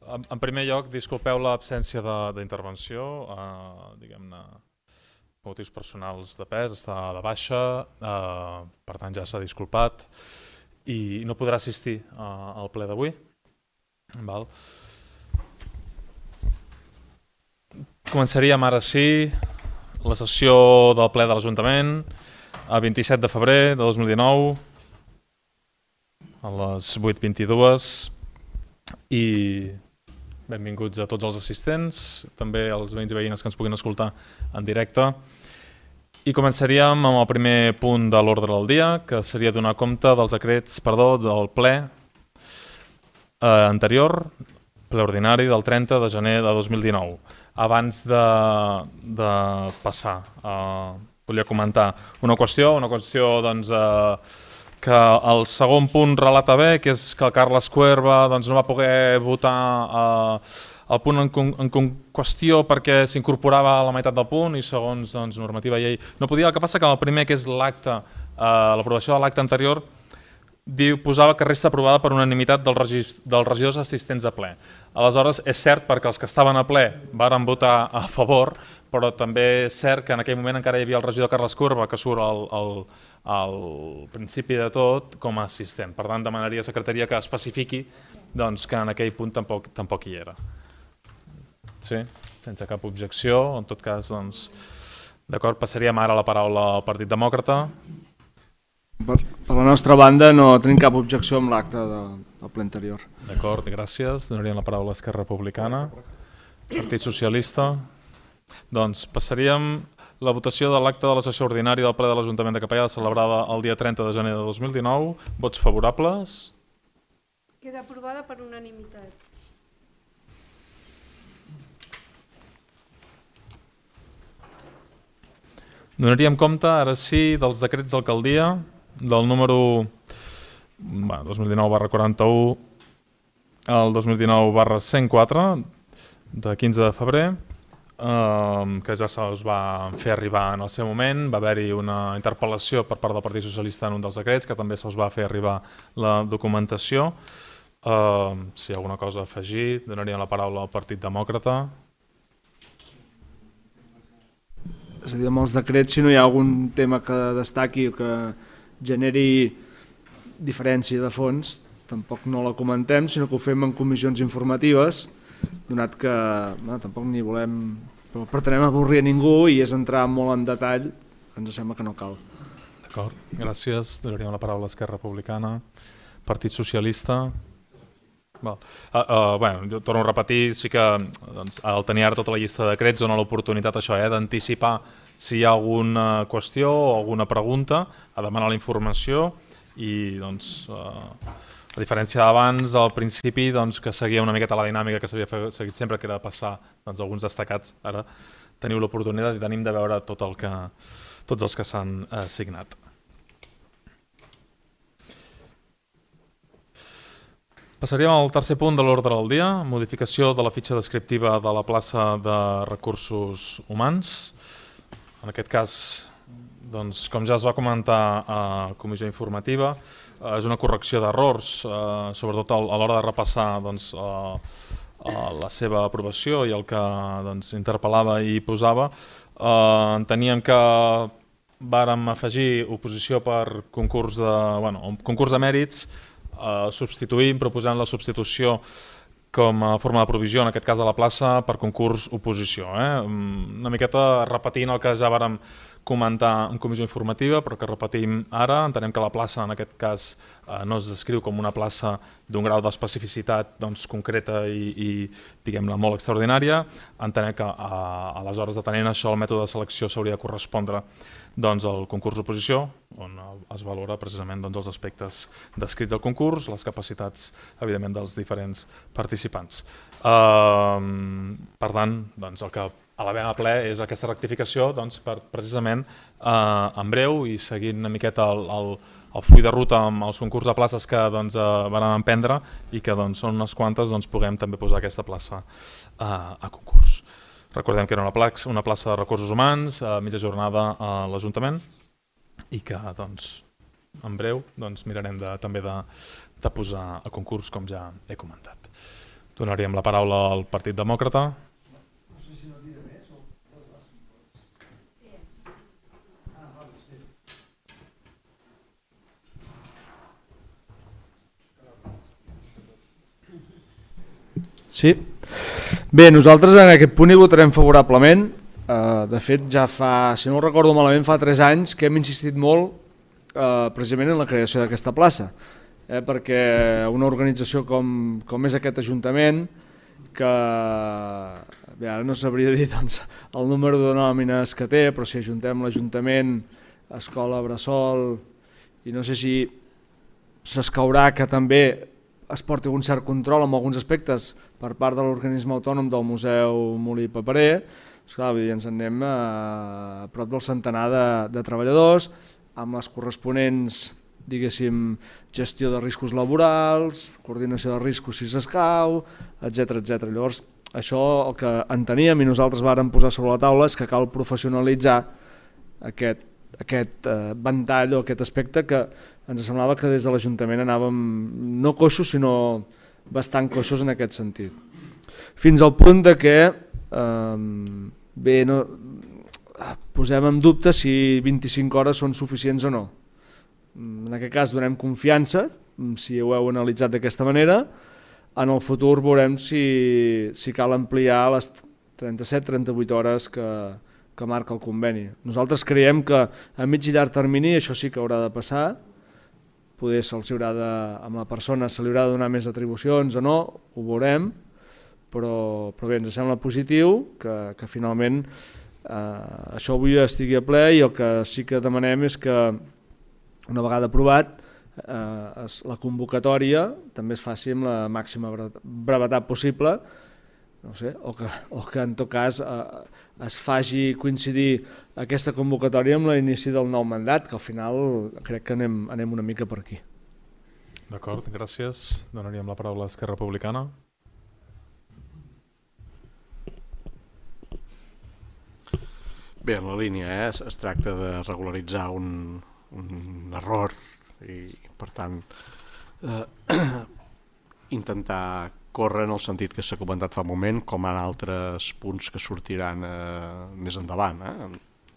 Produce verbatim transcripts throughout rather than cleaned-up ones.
En primer lloc, disculpeu l'absència d'intervenció, eh, diguem-ne, motius personals de pes, està de baixa, eh, per tant ja s'ha disculpat i no podrà assistir eh, al ple d'avui. Val. Començaríem ara sí la sessió del ple de l'Ajuntament el vint-i-set de febrer de dos mil dinou a les vuit vint-i-dues i benvinguts a tots els assistents, també als veïns i veïnes que ens puguin escoltar en directe. I començaríem amb el primer punt de l'ordre del dia, que seria donar compte dels decrets, perdó, del ple eh, anterior, ple ordinari del trenta de gener de dos mil dinou. Abans de, de passar, eh, volia comentar una qüestió, una qüestió doncs, eh, que el segon punt relata bé, que és que el Carles Cuerva doncs, no va poder votar eh, el punt en, en, en qüestió perquè s'incorporava a la meitat del punt i segons doncs, normativa i llei no podia. El que passa que el primer, que és l'acte, eh, l'aprovació de l'acte anterior, diu, posava que resta aprovada per unanimitat dels, regis, dels regidors assistents a ple. Aleshores, és cert perquè els que estaven a ple varen votar a favor, però també és cert que en aquell moment encara hi havia el regidor Carles Cuerva, que surt al, al, al principi de tot com a assistent. Per tant, demanaria a secretaria que especifiqui doncs, que en aquell punt tampoc, tampoc hi era. Sí? Sense cap objecció. En tot cas, doncs, d'acord, passaríem ara la paraula al Partit Demòcrata. Per, per la nostra banda no tenim cap objecció amb l'acte de, del ple anterior. D'acord, gràcies. Donaríem la paraula a Esquerra Republicana. Partit Socialista. Doncs passaríem la votació de l'acte de la sessió ordinària del ple de l'Ajuntament de Capellada celebrada el dia trenta de gener de dos mil dinou. Vots favorables? Queda aprovada per unanimitat. Donaríem compte, ara sí, dels decrets d'alcaldia del número bueno, dos mil dinou barra quaranta-u al dos mil dinou barra cent quatre de quinze de febrer, eh, que ja se'ls va fer arribar en el seu moment. Va haver-hi una interpel·lació per part del Partit Socialista en un dels decrets, que també se'ls va fer arribar la documentació. Eh, si hi ha alguna cosa a afegir, donaríem la paraula al Partit Demòcrata. És a dir, amb els decrets, si no hi ha algun tema que destaqui o que generi diferència de fons, tampoc no la comentem, sinó que ho fem en comissions informatives, donat que bueno, tampoc ni volem, però pretenem avorrir a ningú i és entrar molt en detall, ens sembla que no cal. D'acord, gràcies. Donaríem la paraula a Esquerra Republicana. Partit Socialista. Val. Uh, uh, bueno, jo torno a repetir, sí que doncs, al tenir ara tota la llista de decrets dona l'oportunitat això, eh, d'anticipar si hi ha alguna qüestió o alguna pregunta, a demanar la informació i doncs, uh, a diferència d'abans, al principi doncs, que seguia una miqueta la dinàmica que s'havia seguit sempre, que era passar doncs, alguns destacats, ara teniu l'oportunitat i tenim de veure tot el que, tots els que s'han uh, signat. Passaríem al tercer punt de l'ordre del dia, modificació de la fitxa descriptiva de la plaça de recursos humans. En aquest cas, doncs, com ja es va comentar a comissió informativa, eh, és una correcció d'errors, eh, sobretot a l'hora de repassar doncs, eh, la seva aprovació i el que doncs, interpel·lava i posava. Eh, enteníem que vàrem afegir oposició per concurs de, bueno, concurs de mèrits, Uh, substituïm, proposant la substitució com a forma de provisió, en aquest cas a la plaça, per concurs oposició. Eh? Una miqueta repetint el que ja vàrem comentar en comissió informativa, però que repetim ara. Entenem que la plaça, en aquest cas, uh, no es descriu com una plaça d'un grau d'especificitat doncs, concreta i, i diguem-ne, molt extraordinària. Entenem que, uh, aleshores, atenent això, el mètode de selecció s'hauria de correspondre doncs, el concurs d'oposició, on es valora precisament doncs, els aspectes descrits del concurs, les capacitats, evidentment, dels diferents participants. Uh, per tant, doncs, el que elevem a ple és aquesta rectificació doncs, per precisament uh, en breu i seguint una miqueta el, el, el full de ruta amb els concurs de places que doncs, uh, van emprendre i que doncs, són unes quantes, doncs, puguem també posar aquesta plaça uh, a concurs. Recordem que era una plaça, una plaça de recursos humans, a mitja jornada a l'Ajuntament i que doncs, en breu doncs, mirarem de, també de, de posar a concurs, com ja he comentat. Donaríem la paraula al Partit Demòcrata. Sí. Bé, nosaltres en aquest punt hi votarem favorablement. Uh, de fet, ja fa, si no ho recordo malament, fa tres anys que hem insistit molt uh, precisament en la creació d'aquesta plaça. Eh, perquè una organització com, com és aquest Ajuntament, que bé, ara no sabria dir doncs, el número de nòmines que té, però si ajuntem l'Ajuntament, Escola Bressol, i no sé si s'escaurà que també es porti un cert control en alguns aspectes per part de l'organisme autònom del Museu Molí Paperer, esclar, ens en anem a, a prop del centenar de, de treballadors, amb les corresponents, diguéssim, gestió de riscos laborals, coordinació de riscos si s'escau, etcètera, etcètera. Llavors, això el que enteníem i nosaltres vàrem posar sobre la taula és que cal professionalitzar aquest, aquest eh, ventall o aquest aspecte que ens semblava que des de l'Ajuntament anàvem no coixos sinó bastant coixos en aquest sentit. Fins al punt de que eh, bé, no, posem en dubte si vint-i-cinc hores són suficients o no. En aquest cas donem confiança, si ho heu analitzat d'aquesta manera, en el futur veurem si, si cal ampliar les trenta-set trenta-vuit hores que, que marca el conveni. Nosaltres creiem que a mig i llarg termini això sí que haurà de passar, poder se'ls haurà de, amb la persona se li haurà de donar més atribucions o no, ho veurem, però, però bé, ens sembla positiu que, que finalment eh, això avui estigui a ple i el que sí que demanem és que una vegada aprovat eh, es, la convocatòria també es faci amb la màxima brevetat possible, no sé, o, que, o que en tot cas eh, es faci coincidir aquesta convocatòria amb l'inici del nou mandat, que al final crec que anem, anem una mica per aquí. D'acord, gràcies. Donaríem la paraula a Esquerra Republicana. Bé, en la línia eh, es, es tracta de regularitzar un, un error i per tant eh, intentar córrer en el sentit que s'ha comentat fa un moment, com en altres punts que sortiran eh, més endavant, eh,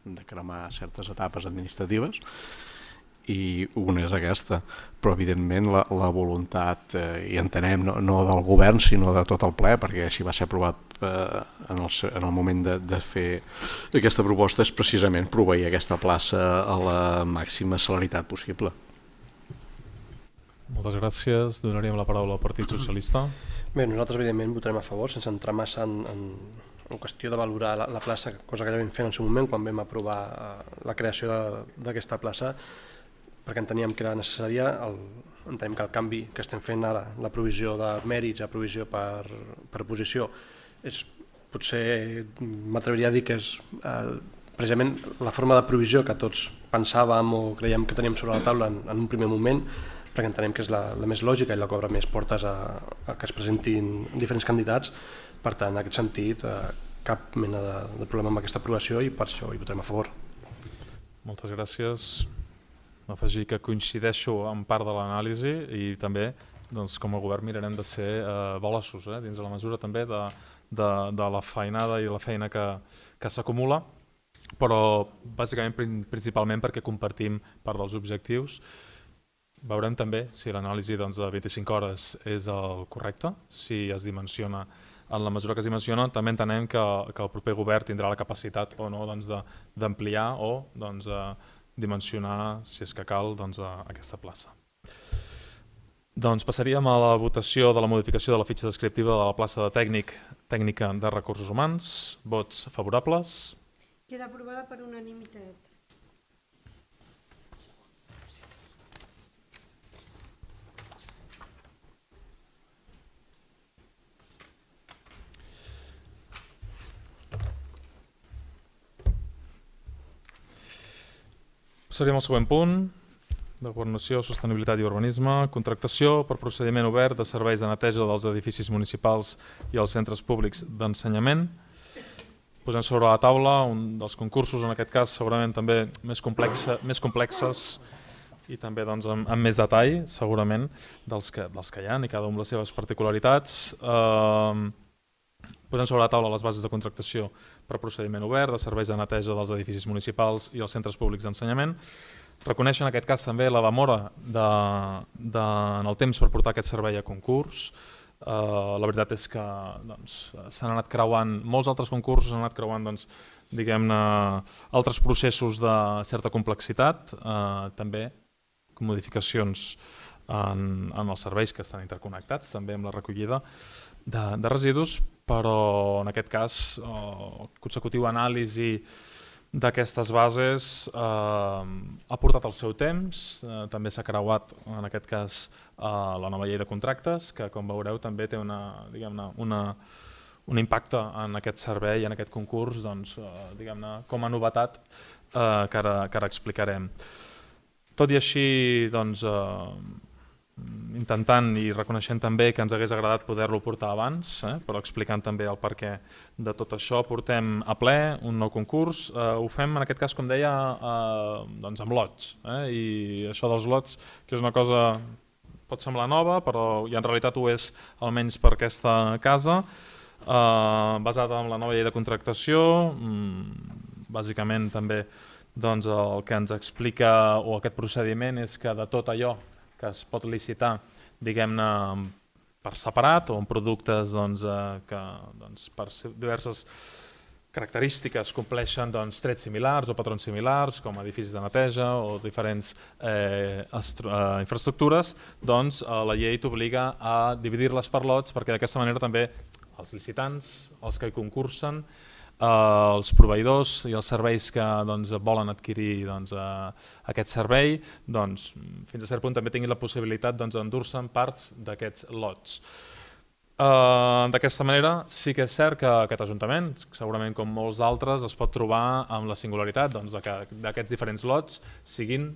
de cremar certes etapes administratives, i una és aquesta, però evidentment la, la voluntat, eh, i entenem, no, no del govern sinó de tot el ple, perquè així va ser aprovat eh, en, el, en el moment de, de fer aquesta proposta, és precisament proveir aquesta plaça a la màxima celeritat possible. Moltes gràcies. Donaríem la paraula al Partit Socialista. Bé, nosaltres evidentment votarem a favor, sense entrar massa en, en, en qüestió de valorar la, la plaça, cosa que ja vam fer en el seu moment quan vam aprovar la creació d'aquesta plaça, perquè enteníem que era necessària, el, entenem que el canvi que estem fent ara, la provisió de mèrits a provisió per, per posició, és, potser m'atreviria a dir que és eh, precisament la forma de provisió que tots pensàvem o creiem que teníem sobre la taula en, en un primer moment, perquè entenem que és la, la més lògica i la que obre més portes a, a que es presentin diferents candidats. Per tant, en aquest sentit, eh, cap mena de, de problema amb aquesta aprovació i per això hi votarem a favor. Moltes gràcies. Afegir que coincideixo en part de l'anàlisi i també, doncs, com a govern mirarem de ser eh, veloços, eh, dins de la mesura també de, de, de la feinada i la feina que, que s'acumula, però bàsicament principalment perquè compartim part dels objectius. Veurem també si l'anàlisi doncs, de vint-i-cinc hores és el correcte, si es dimensiona en la mesura que es dimensiona. També entenem que, que el proper govern tindrà la capacitat o no doncs, d'ampliar o doncs, dimensionar, si és que cal, doncs, aquesta plaça. Doncs passaríem a la votació de la modificació de la fitxa descriptiva de la plaça de tècnic, tècnica de recursos humans. Vots favorables. Queda aprovada per unanimitat. Passaríem al següent punt, de Governació, Sostenibilitat i Urbanisme, contractació per procediment obert de serveis de neteja dels edificis municipals i els centres públics d'ensenyament. Posem sobre la taula un dels concursos, en aquest cas segurament també més, complexa, més complexes i també doncs, amb, amb més detall, segurament, dels que, dels que hi ha i cada un amb les seves particularitats. Eh, posem sobre la taula les bases de contractació per procediment obert, de serveis de neteja dels edificis municipals i els centres públics d'ensenyament. Reconèixer en aquest cas també la demora de, de, en el temps per portar aquest servei a concurs. Uh, la veritat és que doncs, s'han anat creuant, molts altres concursos s'han anat creuant doncs, diguem-ne, altres processos de certa complexitat, uh, també modificacions en, en els serveis que estan interconnectats, també amb la recollida de, de residus, però en aquest cas el consecutiu anàlisi d'aquestes bases eh, ha portat el seu temps, eh, també s'ha creuat en aquest cas eh, la nova llei de contractes, que com veureu també té una, diguem-ne, una, un impacte en aquest servei, en aquest concurs, doncs, eh, diguem-ne, com a novetat eh, que, ara, que ara explicarem. Tot i així, doncs, eh, intentant i reconeixent també que ens hagués agradat poder-lo portar abans, eh, però explicant també el perquè de tot això, portem a ple un nou concurs. Eh, ho fem, en aquest cas, com deia, eh, doncs amb lots. Eh, I això dels lots, que és una cosa pot semblar nova, però i en realitat ho és almenys per aquesta casa, eh, basada en la nova llei de contractació, mm, bàsicament també doncs, el que ens explica o aquest procediment és que de tot allò que es pot licitar, diguem-ne, per separat o en productes doncs, eh, que doncs, per diverses característiques compleixen doncs, trets similars o patrons similars, com edificis de neteja o diferents eh, eh, infraestructures, doncs eh, la llei t'obliga a dividir-les per lots perquè d'aquesta manera també els licitants, els que hi concursen, Uh, els proveïdors i els serveis que doncs, volen adquirir doncs, uh, aquest servei, doncs, fins a cert punt també tinguin la possibilitat doncs, d'endur-se'n parts d'aquests lots. Uh, D'aquesta manera sí que és cert que aquest Ajuntament, segurament com molts d'altres, es pot trobar amb la singularitat doncs, de que d'aquests diferents lots siguin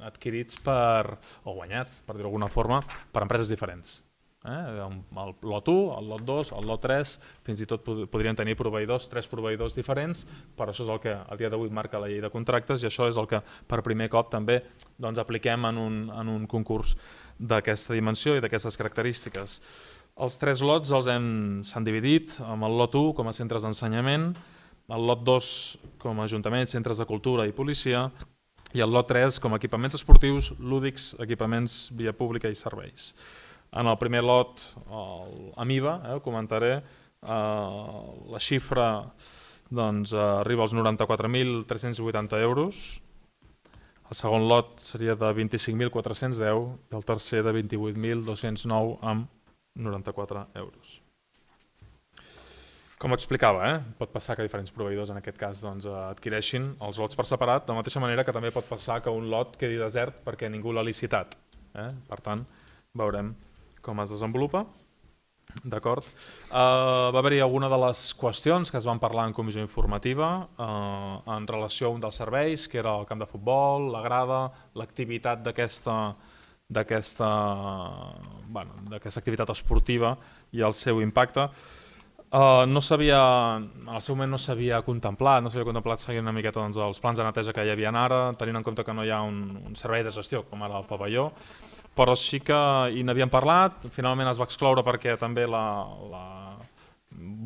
adquirits per, o guanyats, per dir-ho d'alguna forma, per empreses diferents. Eh? El lot u, el lot dos, el lot tres, fins i tot podrien tenir proveïdors, tres proveïdors diferents, però això és el que al dia d'avui marca la llei de contractes i això és el que per primer cop també doncs, apliquem en un, en un concurs d'aquesta dimensió i d'aquestes característiques. Els tres lots els hem s'han dividit amb el lot u com a centres d'ensenyament, el lot dos com a ajuntaments, centres de cultura i policia i el lot tres com a equipaments esportius, lúdics, equipaments via pública i serveis. En el primer lot, el, amb I V A, eh, ho comentaré, eh, la xifra doncs, eh, arriba als noranta-quatre mil tres-cents vuitanta euros, el segon lot seria de vint-i-cinc mil quatre-cents deu i el tercer de vint-i-vuit mil dos-cents nou amb noranta-quatre euros. Com explicava, eh, pot passar que diferents proveïdors en aquest cas doncs, adquireixin els lots per separat, de la mateixa manera que també pot passar que un lot quedi desert perquè ningú l'ha licitat. Eh? Per tant, veurem com es desenvolupa. D'acord. Uh, va haver-hi alguna de les qüestions que es van parlar en comissió informativa uh, en relació a un dels serveis, que era el camp de futbol, la grada, l'activitat d'aquesta d'aquesta bueno, d'aquesta activitat esportiva i el seu impacte. Uh, no s'havia, en el seu moment no s'havia contemplat, no s'havia contemplat seguir una miqueta doncs, els plans de neteja que hi havia ara, tenint en compte que no hi ha un, un servei de gestió com ara el pavelló, però sí que hi n'havíem parlat, finalment es va excloure perquè també la, la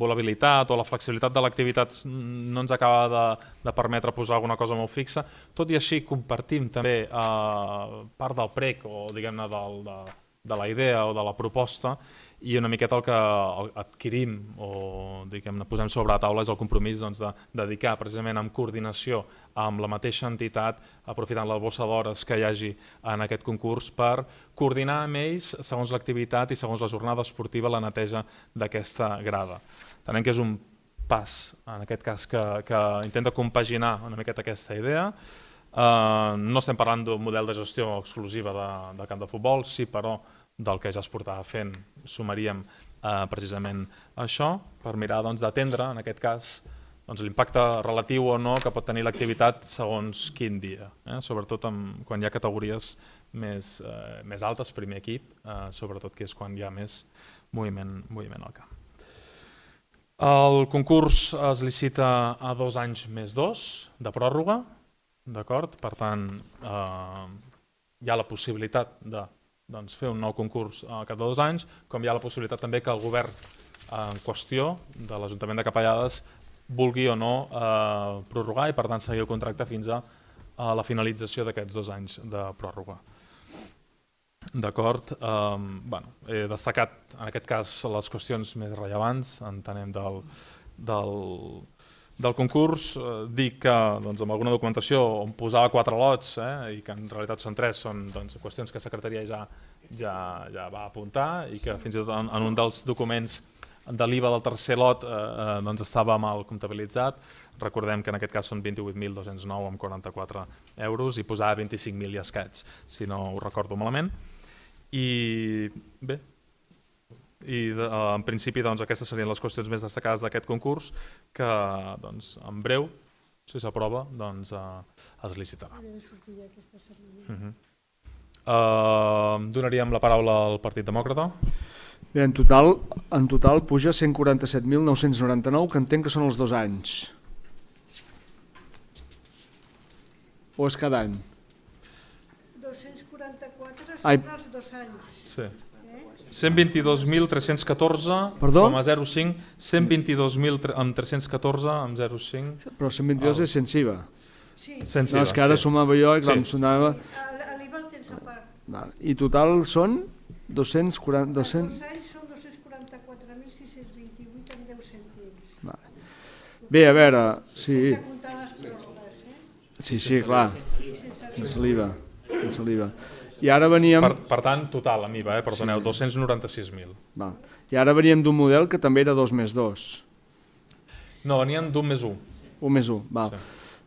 volabilitat o la flexibilitat de l'activitat no ens acaba de, de permetre posar alguna cosa molt fixa. Tot i així compartim també eh, part del prec o diguem-ne de, de la idea o de la proposta i una miqueta el que adquirim o diguem-ne posem sobre la taula és el compromís doncs, de dedicar precisament en coordinació amb la mateixa entitat, aprofitant la bossa d'hores que hi hagi en aquest concurs per coordinar amb ells segons l'activitat i segons la jornada esportiva la neteja d'aquesta grada. Entenem que és un pas, en aquest cas, que, que intenta compaginar una miqueta aquesta idea. Uh, no estem parlant d'un model de gestió exclusiva de, del camp de futbol, sí, però del que ja es portava fent sumaríem eh, precisament això per mirar doncs, d'atendre, en aquest cas, doncs, l'impacte relatiu o no que pot tenir l'activitat segons quin dia, eh? Sobretot amb, quan hi ha categories més, eh, més altes, primer equip, eh, sobretot que és quan hi ha més moviment, moviment al camp. El concurs es licita a dos anys més dos de pròrroga, d'acord? Per tant, eh, hi ha la possibilitat de doncs, fer un nou concurs al cap de dos anys, com hi ha la possibilitat també que el govern en qüestió de l'Ajuntament de Capellades vulgui o no eh, prorrogar i per tant seguir el contracte fins a, a la finalització d'aquests dos anys de pròrroga. D'acord, eh, bueno, he destacat en aquest cas les qüestions més rellevants, entenem del, del, del concurs. Eh, dic que doncs, amb alguna documentació on posava quatre lots eh, i que en realitat són tres, són doncs, qüestions que la secretaria ja, ja, ja va apuntar i que fins i tot en, en un dels documents de l'I V A del tercer lot eh, doncs estava mal comptabilitzat. Recordem que en aquest cas són vint-i-vuit mil dos-cents nou coma quaranta-quatre euros i posava vint-i-cinc mil i escaig, si no ho recordo malament. I bé, i de, en principi doncs, aquestes serien les qüestions més destacades d'aquest concurs que doncs, en breu, si s'aprova, doncs, eh, es licitarà. Uh -huh. uh, donaríem la paraula al Partit Demòcrata. Bé, en total, en total puja cent quaranta-set mil nou-cents noranta-nou, que entenc que són els dos anys. O és cada any? dos-cents quaranta-quatre Ai. són els dos anys. Sí. cent vint-i-dos mil tres-cents catorze Perdó? coma zero cinc, cent vint-i-dos mil tres-cents catorze coma zero cinc. Però cent vint-i-dos és sense I V A. Sí, Sense No, és que ara sí. sumava jo i clar, Sí. em sonava... l'I V A el tens a part. Vale. I total són dos-cents quaranta... Els dos-cents... dos anys són dos-cents quaranta-quatre mil sis-cents vint-i-vuit amb deu cèntims. Vale. Bé, a veure... Sí, Sense comptar les pròrrogues, eh? sí, sí, clar, Sense sense l'I V A. Sense l'I V A. I ara veníem... Per, per tant, total, amb I V A, eh? Perdoneu, Sí. dos-cents noranta-sis mil. Val. I ara veníem d'un model que també era dos més dos. No, venien d'un més un. Un més un, val. Sí.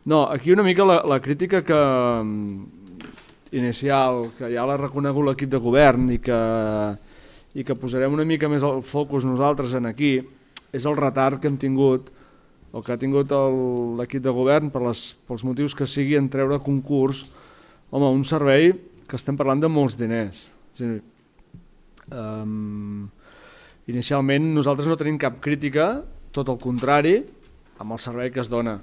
No, aquí una mica la, la crítica que inicial, que ja l'ha reconegut l'equip de govern i que, i que posarem una mica més el focus nosaltres en aquí, és el retard que hem tingut, o que ha tingut el- l'equip de govern per les, pels motius que sigui en treure concurs, home, un servei que estem parlant de molts diners. És a dir, um, inicialment nosaltres no tenim cap crítica, tot el contrari, amb el servei que es dona.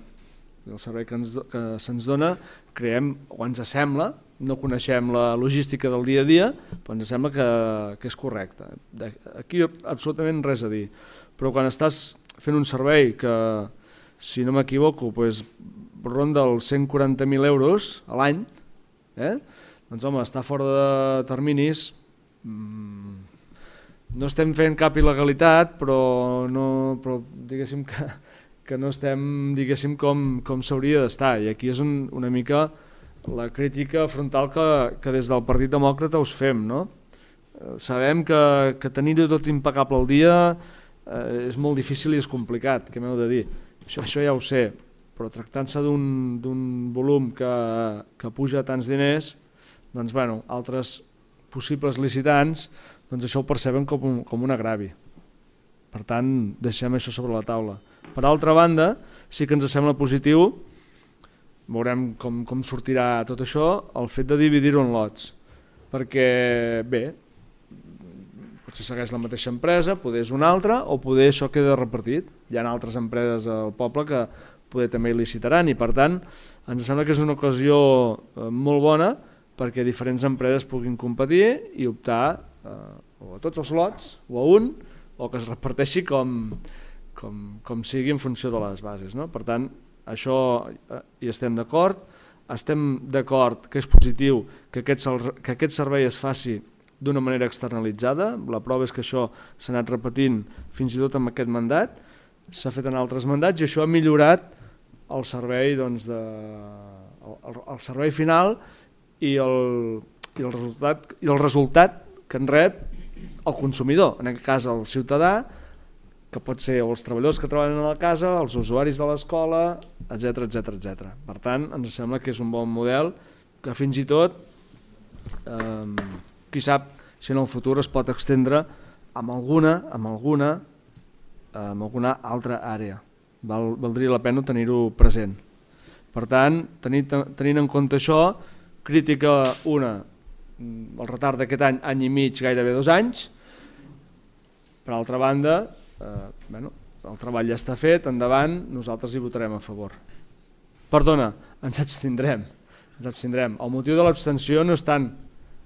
El servei que, ens, que se'ns dona, creiem, o ens sembla, no coneixem la logística del dia a dia, però ens sembla que, que és correcte. De, aquí absolutament res a dir. Però quan estàs fent un servei que, si no m'equivoco, pues, ronda els cent quaranta mil euros a l'any, eh? doncs home, està fora de terminis, mmm, no estem fent cap il·legalitat, però, no, però diguéssim que, que no estem diguéssim com, com s'hauria d'estar, i aquí és un, una mica la crítica frontal que, que des del Partit Demòcrata us fem, no? Eh, sabem que, que tenir-ho tot impecable al dia eh, és molt difícil i és complicat, què m'heu de dir? Això, això ja ho sé, però tractant-se d'un d'un volum que, que puja tants diners, doncs bueno, altres possibles licitants doncs això ho perceben com un, com un agravi. Per tant, deixem això sobre la taula. Per altra banda, sí que ens sembla positiu, veurem com, com sortirà tot això, el fet de dividir-ho en lots, perquè bé, potser segueix la mateixa empresa, poder és una altra, o poder això queda repartit. Hi ha altres empreses al poble que poder també hi licitaran, i per tant ens sembla que és una ocasió eh, molt bona perquè diferents empreses puguin competir i optar eh, o a tots els lots o a un, o que es reparteixi com, com, com sigui en funció de les bases, no? Per tant, això eh, hi estem d'acord, estem d'acord que és positiu que aquest, que aquest servei es faci d'una manera externalitzada. La prova és que això s'ha anat repetint fins i tot amb aquest mandat, s'ha fet en altres mandats i això ha millorat el servei, doncs, de, el, el servei final i el, i, el resultat, i el resultat que en rep el consumidor, en aquest cas el ciutadà, que pot ser els treballadors que treballen a la casa, els usuaris de l'escola, etcètera, etcètera, etcètera. Per tant, ens sembla que és un bon model que fins i tot, eh, qui sap si en el futur es pot extendre amb alguna, amb alguna, amb alguna altra àrea. Val, valdria la pena tenir-ho present. Per tant, tenint, tenint en compte això, crítica una, el retard d'aquest any, any i mig, gairebé dos anys. Per altra banda, eh, bueno, el treball ja està fet, endavant, nosaltres hi votarem a favor. Perdona, ens abstindrem. ens abstindrem. El motiu de l'abstenció no és tant...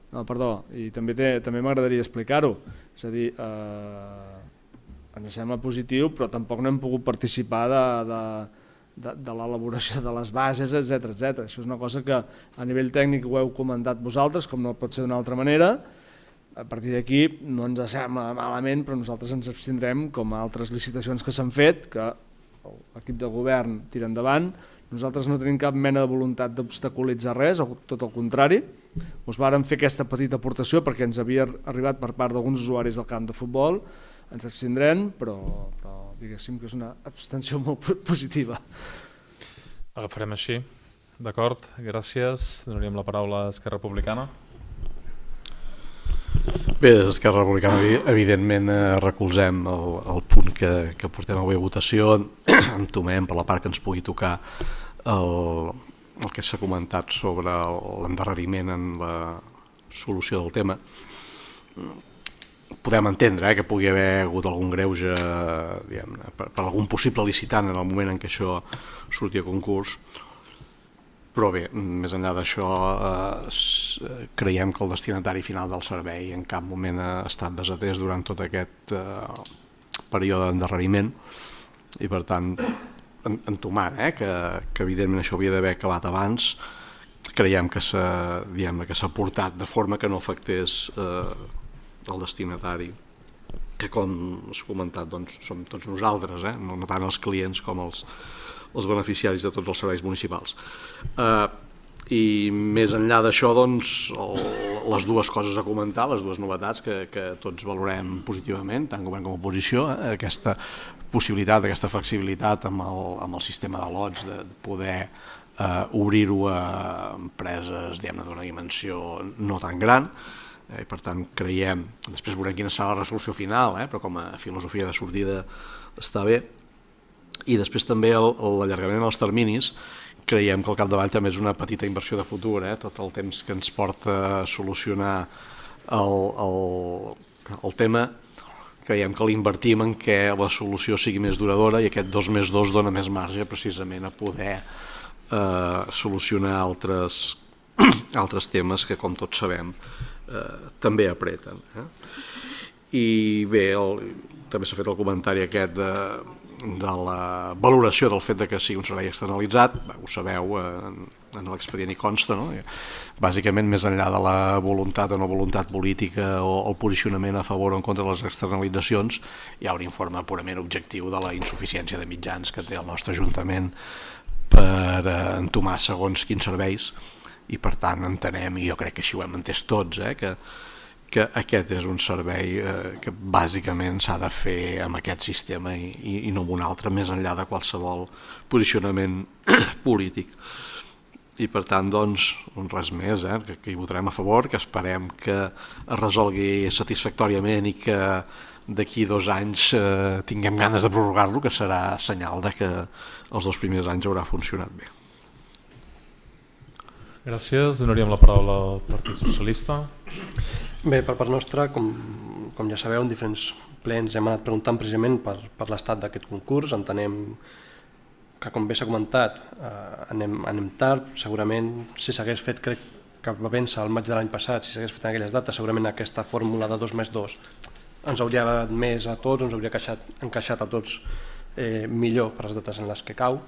No, perdó, i també, té, també m'agradaria explicar-ho. És a dir, eh, ens sembla positiu, però tampoc no hem pogut participar de, de, de, de l'elaboració de les bases, etcètera etcètera. Això és una cosa que a nivell tècnic ho heu comentat vosaltres, com no pot ser d'una altra manera. A partir d'aquí no ens sembla malament, però nosaltres ens abstindrem, com a altres licitacions que s'han fet, que l'equip de govern tira endavant. Nosaltres no tenim cap mena de voluntat d'obstaculitzar res, tot el contrari. Us vàrem fer aquesta petita aportació perquè ens havia arribat per part d'alguns usuaris del camp de futbol. Ens abstindrem, però, però diguéssim que és una abstenció molt positiva. Agafarem així. D'acord, gràcies. Donaríem la paraula a Esquerra Republicana. Bé, des d'Esquerra Republicana evidentment recolzem el, el punt que, que portem avui a votació, entomem per la part que ens pugui tocar el, el que s'ha comentat sobre l'endarreriment en la solució del tema. Podem entendre eh, que pugui haver hagut algun greuge diguem-ne, per, per algun possible licitant en el moment en què això surti a concurs, però bé, més enllà d'això, eh, creiem que el destinatari final del servei en cap moment ha estat desatès durant tot aquest eh, període d'endarreriment i per tant, entomant eh, que, que evidentment això havia d'haver acabat abans, creiem que s'ha que s'ha portat de forma que no afectés eh, el destinatari, que com s'ha comentat doncs, som tots nosaltres, eh, no tant els clients com els els beneficiaris de tots els serveis municipals. Eh, I més enllà d'això, doncs, el, les dues coses a comentar, les dues novetats que, que tots valorem positivament, tant govern com oposició, eh, aquesta possibilitat, aquesta flexibilitat amb el, amb el sistema de lots, de poder eh, obrir-ho a empreses d'una dimensió no tan gran, eh, i per tant creiem, després veurem quina serà la resolució final, eh, però com a filosofia de sortida està bé. I després també l'allargament dels terminis, creiem que al capdavall també és una petita inversió de futur, eh? Tot el temps que ens porta a solucionar el, el, el tema, creiem que l'invertim en què la solució sigui més duradora i aquest dos més dos dona més marge precisament a poder eh, solucionar altres, altres temes que, com tots sabem, eh, també apreten. Eh? I bé, el, també s'ha fet el comentari aquest de de la valoració del fet de que sigui un servei externalitzat, ho sabeu, en, en l'expedient hi consta, no? Bàsicament més enllà de la voluntat o no voluntat política o el posicionament a favor o en contra de les externalitzacions, hi ha un informe purament objectiu de la insuficiència de mitjans que té el nostre Ajuntament per entomar segons quins serveis i per tant entenem, i jo crec que així ho hem entès tots, eh, que que aquest és un servei eh, que bàsicament s'ha de fer amb aquest sistema i, i, i no amb un altre, més enllà de qualsevol posicionament polític. I per tant, doncs, res més, eh, que, que hi votarem a favor, que esperem que es resolgui satisfactòriament i que d'aquí dos anys eh, tinguem ganes de prorrogar-lo, que serà senyal de que els dos primers anys haurà funcionat bé. Gràcies. Donaríem la paraula al Partit Socialista. Bé, per part nostra, com, com ja sabeu, en diferents plens hem anat preguntant precisament per, per l'estat d'aquest concurs. Entenem que, com bé s'ha comentat, eh, anem, anem tard. Segurament, si s'hagués fet, crec que va vèncer el maig de l'any passat, si s'hagués fet en aquelles dates, segurament aquesta fórmula de dos més dos ens hauria agradat més a tots, ens hauria encaixat, encaixat a tots eh, millor per les dates en les que cau.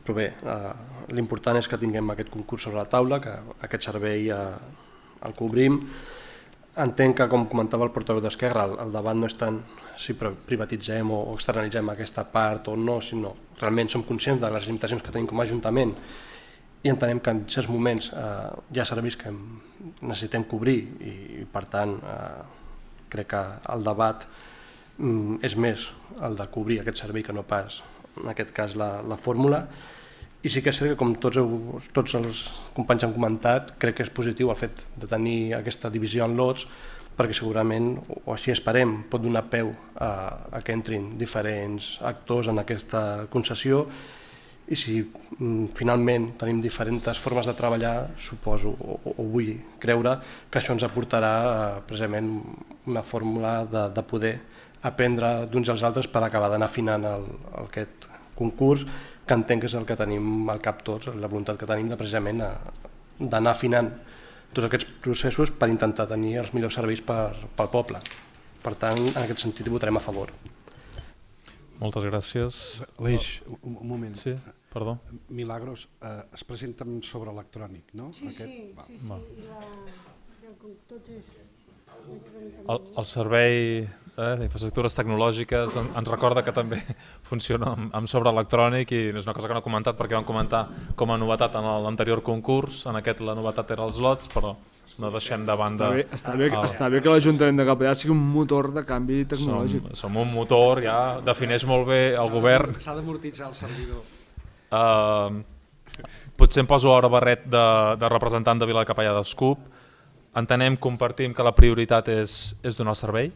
Però bé, eh, l'important és que tinguem aquest concurs sobre la taula, que aquest servei eh, el cobrim. Entenc que, com comentava el portaveu d'Esquerra, el, el debat no és tant si privatitzem o externalitzem aquesta part o no, sinó realment som conscients de les limitacions que tenim com a Ajuntament i entenem que en certs moments eh, hi ha serveis que necessitem cobrir i, i per tant, eh, crec que el debat mm, és més el de cobrir aquest servei que no pas, en aquest cas, la, la fórmula. I sí que és cert que, com tots, heu, tots els companys han comentat, crec que és positiu el fet de tenir aquesta divisió en lots, perquè segurament, o així esperem, pot donar peu a, a que entrin diferents actors en aquesta concessió i si mm, finalment tenim diferents formes de treballar, suposo o, o vull creure que això ens aportarà eh, precisament una fórmula de, de poder aprendre d'uns als altres per acabar d'anar afinant el, el, aquest concurs, que entenc que és el que tenim al cap tots, la voluntat que tenim de precisament a d'anar afinant tots aquests processos per intentar tenir els millors serveis per, pel poble. Per tant, en aquest sentit hi votarem a favor. Moltes gràcies. Aleix, un, un moment. Sí, perdó. Milagros, eh, es presenta amb sobre electrònic, no? Sí, Aquest? sí, Va. sí, sí. Va. I la, el, tot és electrònicament. El, el servei eh, d'infraestructures tecnològiques en, ens recorda que també funciona amb, amb sobre electrònic i és una cosa que no he comentat perquè vam comentar com a novetat en l'anterior concurs, en aquest la novetat era els lots, però no deixem de banda... Està bé, està bé, el- està bé que l'Ajuntament de Capellà sigui un motor de canvi som, tecnològic. som un motor, ja defineix molt bé el govern. S'ha d'amortitzar el servidor. Uh, potser em poso ara barret de, de representant de Vila de Capellà d'Escup. Entenem, compartim que la prioritat és, és donar servei.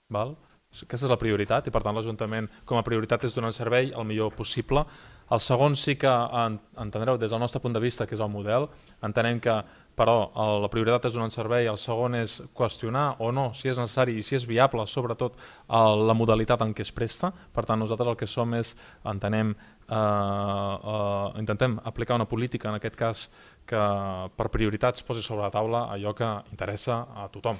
Val? Aquesta és la prioritat i per tant l'Ajuntament com a prioritat és donar el servei el millor possible. El segon sí que en, entendreu des del nostre punt de vista que és el model. Entenem que però el, la prioritat és donar un servei, el segon és qüestionar o no si és necessari i si és viable, sobretot el, la modalitat en què es presta. Per tant, nosaltres el que som és, entenem, eh, eh, intentem aplicar una política, en aquest cas, que per prioritats posi sobre la taula allò que interessa a tothom,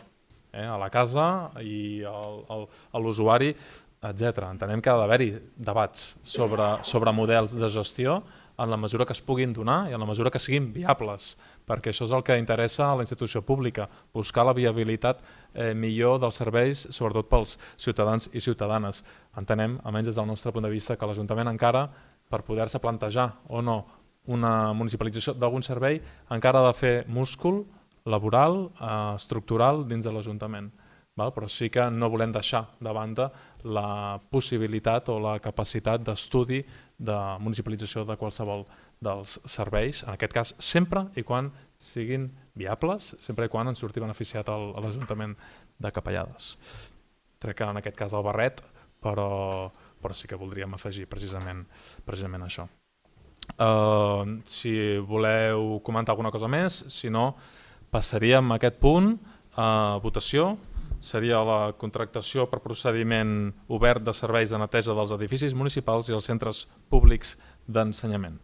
eh, a la casa i al, al, a l'usuari, etcètera. Entenem que ha d'haver-hi debats sobre, sobre models de gestió en la mesura que es puguin donar i en la mesura que siguin viables, perquè això és el que interessa a la institució pública, buscar la viabilitat eh, millor dels serveis, sobretot pels ciutadans i ciutadanes. Entenem, almenys des del nostre punt de vista, que l'Ajuntament encara, per poder-se plantejar o no una municipalització d'algun servei, encara ha de fer múscul laboral, eh, estructural dins de l'Ajuntament. Val? Però sí que no volem deixar de banda la possibilitat o la capacitat d'estudi de municipalització de qualsevol dels serveis, en aquest cas sempre i quan siguin viables, sempre i quan ens surti beneficiat el, a l'Ajuntament de Capellades. Crec que en aquest cas el barret, però, però sí que voldríem afegir precisament, precisament això. Uh, si voleu comentar alguna cosa més, si no, passaríem a aquest punt a votació. Seria la contractació per procediment obert de serveis de neteja dels edificis municipals i els centres públics d'ensenyament.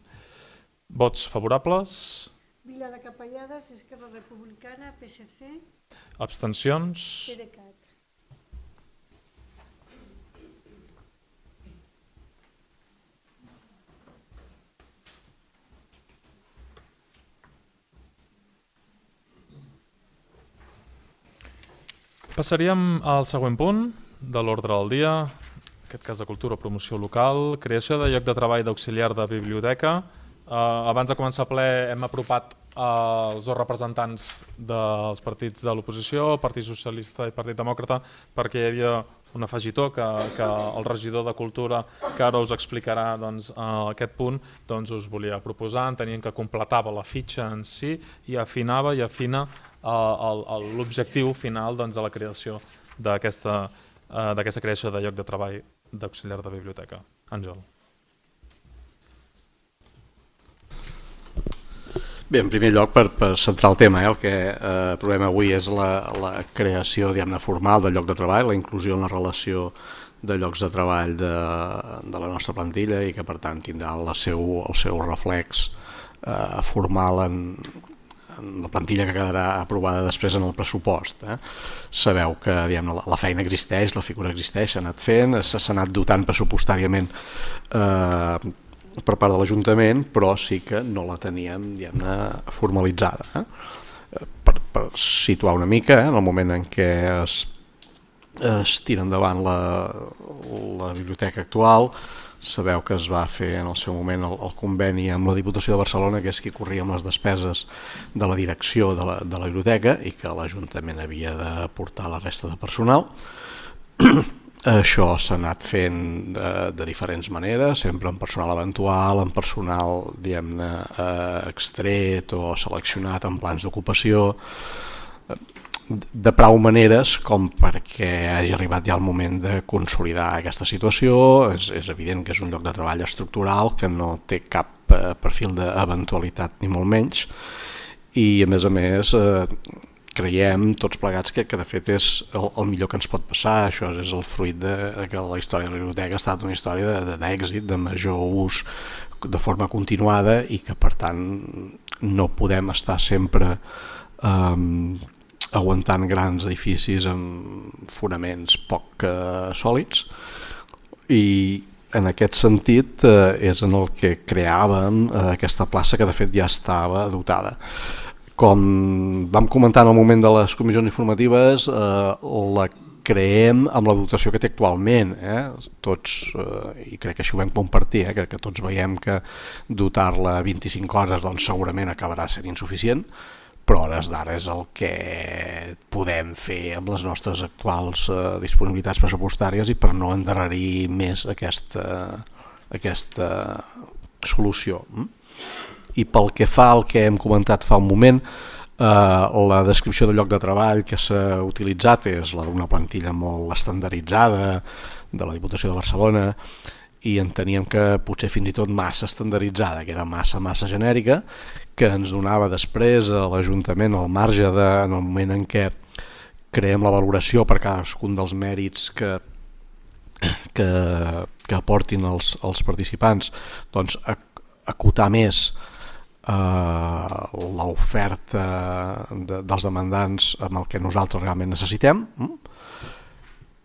Vots favorables? Vila de Capellades, Esquerra Republicana, P S C, Abstencions? PDeCAT. Passaríem al següent punt de l'ordre del dia, en aquest cas de cultura o promoció local, creació de lloc de treball d'auxiliar de biblioteca. Eh, abans de començar el ple hem apropat els dos representants dels partits de l'oposició, Partit Socialista i Partit Demòcrata, perquè hi havia un afegitó que, que el regidor de Cultura, que ara us explicarà doncs, aquest punt, doncs us volia proposar, entenien que completava la fitxa en si i afinava i afina l'objectiu final doncs, de la creació d'aquesta d'aquesta creació de lloc de treball d'auxiliar de biblioteca. Àngel. Bé, en primer lloc, per, per centrar el tema, eh, el que eh, provem avui és la, la creació diguem-ne formal del lloc de treball, la inclusió en la relació de llocs de treball de, de la nostra plantilla i que per tant tindrà el seu, el seu reflex eh, formal en, en la plantilla que quedarà aprovada després en el pressupost. Eh. Sabeu que diguem-ne, la, la feina existeix, la figura existeix, s'ha anat fent, s'ha anat dotant pressupostàriament eh, per part de l'Ajuntament, però sí que no la teníem diguem-ne formalitzada. Eh? Per, per situar una mica, eh, en el moment en què es, es tira endavant la, la biblioteca actual, sabeu que es va fer en el seu moment el, el conveni amb la Diputació de Barcelona, que és qui corria amb les despeses de la direcció de la, de la biblioteca i que l'Ajuntament havia d'aportar la resta de personal. Això s'ha anat fent de, de diferents maneres, sempre amb personal eventual, amb personal diguem-ne eh, extret o seleccionat en plans d'ocupació, de prou maneres com perquè hagi arribat ja el moment de consolidar aquesta situació. És, és evident que és un lloc de treball estructural que no té cap eh, perfil d'eventualitat ni molt menys i a més a més eh, creiem tots plegats que, que de fet és el, el millor que ens pot passar. Això és el fruit de, de que la història de la biblioteca ha estat una història d'èxit, de, de major ús de forma continuada i que per tant no podem estar sempre eh, aguantant grans edificis amb fonaments poc eh, sòlids, i en aquest sentit eh, és en el que creàvem eh, aquesta plaça, que de fet ja estava dotada. Com vam comentar en el moment de les comissions informatives, eh, la creem amb la dotació que té actualment, eh? Tots, eh, i crec que això ho vam compartir, eh? que, que tots veiem que dotar-la vint-i-cinc hores doncs, segurament acabarà sent insuficient, però a hores d'ara és el que podem fer amb les nostres actuals eh, disponibilitats pressupostàries i per no endarrerir més aquesta, aquesta solució. I pel que fa al que hem comentat fa un moment, eh, la descripció del lloc de treball que s'ha utilitzat és la d'una plantilla molt estandarditzada de la Diputació de Barcelona, i enteníem que potser fins i tot massa estandarditzada, que era massa, massa genèrica, que ens donava després a l'Ajuntament el marge de, en el moment en què creem la valoració per cadascun dels mèrits que, que, que aportin els, els participants, doncs acotar més eh, l'oferta de, dels demandants amb el que nosaltres realment necessitem.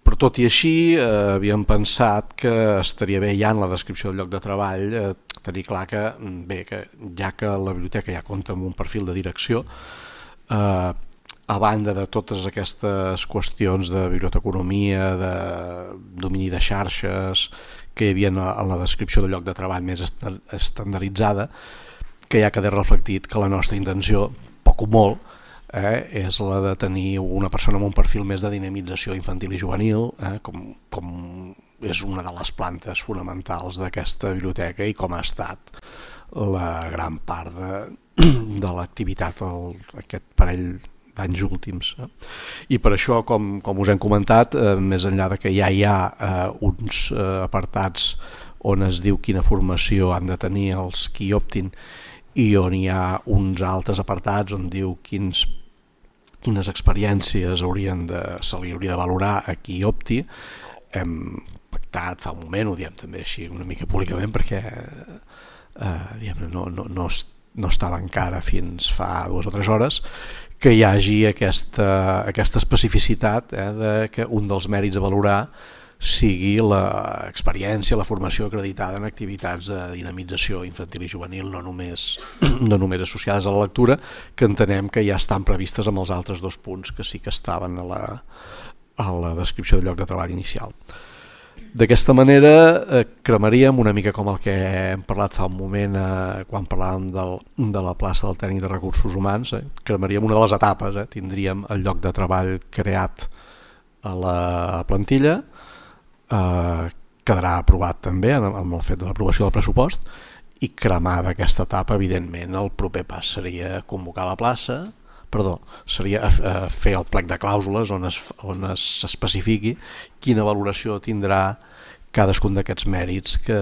Però tot i així eh, havíem pensat que estaria bé ja en la descripció del lloc de treball eh, tenir clar que, bé, que ja que la biblioteca ja compta amb un perfil de direcció, eh, a banda de totes aquestes qüestions de biblioteconomia, de domini de xarxes que hi havia en la descripció del lloc de treball més estandarditzada, que ja queda reflectit que la nostra intenció, poc o molt, Eh, és la de tenir una persona amb un perfil més de dinamització infantil i juvenil, eh, com, com és una de les plantes fonamentals d'aquesta biblioteca i com ha estat la gran part de, de l'activitat aquest parell d'anys últims. Eh. I per això, com, com us hem comentat, eh, més enllà de que ja hi ha eh, uns eh, apartats on es diu quina formació han de tenir els qui optin, i on hi ha uns altres apartats on diu quins, quines experiències haurien de, se li hauria de valorar a qui opti. Hem pactat fa un moment, ho diem també així una mica públicament, perquè eh, diguem, no, no, no, no estava encara fins fa dues o tres hores, que hi hagi aquesta, aquesta especificitat eh, de que un dels mèrits a valorar sigui l'experiència, la formació acreditada en activitats de dinamització infantil i juvenil, no només, no només associades a la lectura, que entenem que ja estan previstes amb els altres dos punts que sí que estaven a la, a la descripció del lloc de treball inicial. D'aquesta manera eh, cremaríem una mica com el que hem parlat fa un moment eh, quan parlàvem del, de la plaça del tècnic de recursos humans, eh, cremaríem una de les etapes, eh, tindríem el lloc de treball creat a la plantilla, Uh, quedarà aprovat també amb el fet de l'aprovació del pressupost, i cremada aquesta etapa, evidentment el proper pas seria convocar la plaça, perdó, seria uh, fer el plec de clàusules on es, on es especifiqui quina valoració tindrà cadascun d'aquests mèrits que,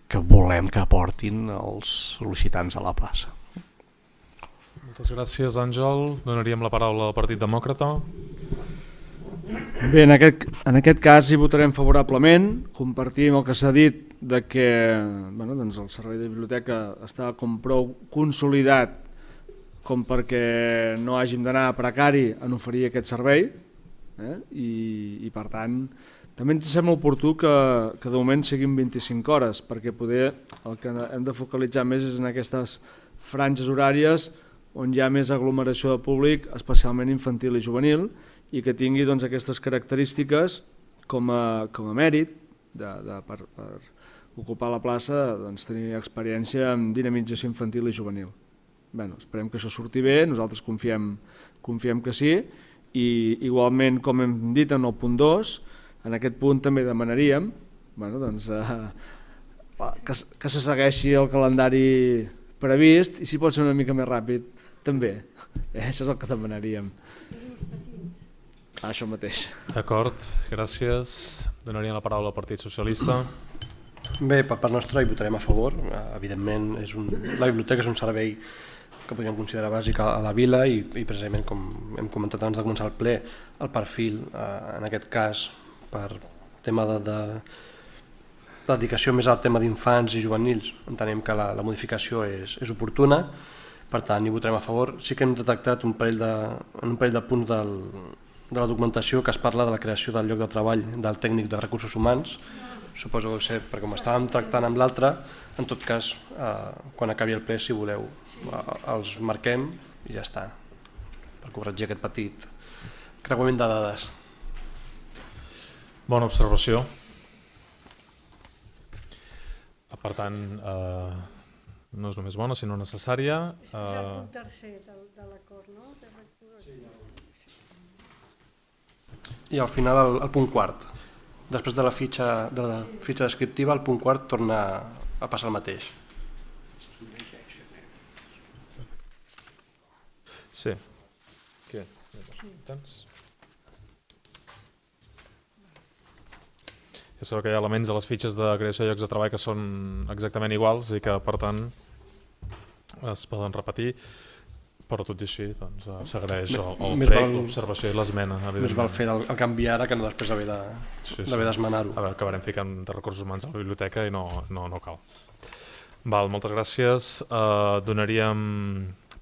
que volem que aportin els sol·licitants a la plaça. Moltes gràcies, Àngel. Donaríem la paraula al Partit Demòcrata. Bé, en aquest, en aquest cas hi votarem favorablement. Compartim el que s'ha dit de que bueno, doncs el servei de biblioteca està com prou consolidat com perquè no hàgim d'anar a precari en oferir aquest servei, eh? I, i per tant també ens sembla oportú que, que de moment siguin vint-i-cinc hores, perquè poder el que hem de focalitzar més és en aquestes franges horàries on hi ha més aglomeració de públic, especialment infantil i juvenil, i que tingui doncs, aquestes característiques com a, com a mèrit de, de, per, per ocupar la plaça, doncs, tenir experiència en dinamització infantil i juvenil. Bé, esperem que això surti bé, nosaltres confiem, confiem que sí, i igualment, com hem dit en el punt dos, en aquest punt també demanaríem bueno, doncs, eh, que, que se segueixi el calendari previst, i si pot ser una mica més ràpid també, eh, això és el que demanaríem. Això mateix. D'acord, gràcies. Donaríem la paraula al Partit Socialista. Bé, per part nostra hi votarem a favor. Evidentment, és un, la biblioteca és un servei que podríem considerar bàsic a la vila i, i precisament, com hem comentat abans de començar el ple, el perfil, eh, en aquest cas, per tema de, de, dedicació més al tema d'infants i juvenils, entenem que la, la modificació és, és oportuna, Per tant, hi votarem a favor. Sí que hem detectat un parell de, en un parell de punts del, de la documentació que es parla de la creació del lloc de treball del tècnic de recursos humans. Suposo que ho sé, perquè com estàvem tractant amb l'altre, en tot cas, eh, quan acabi el ple, si voleu, eh, els marquem i ja està, per corregir aquest petit creuament de dades. Bona observació. Per tant, eh, no és només bona, sinó necessària. És el punt tercer de l'acord, no? I al final el, el punt quart. Després de la fitxa, de la fitxa descriptiva, el punt quart torna a passar el mateix. Sí. Què? Tens? És que hi ha elements a les fitxes de creació de llocs de treball que són exactament iguals i que, per tant, es poden repetir, però tot i així doncs, s'agraeix el, el prec, l'observació i l'esmena. Més val fer el, el canvi ara que no després haver de, sí, sí. d'esmenar-ho. A veure, acabarem ficant de recursos humans a la biblioteca i no, no, no cal. Val, moltes gràcies. Uh, donaríem,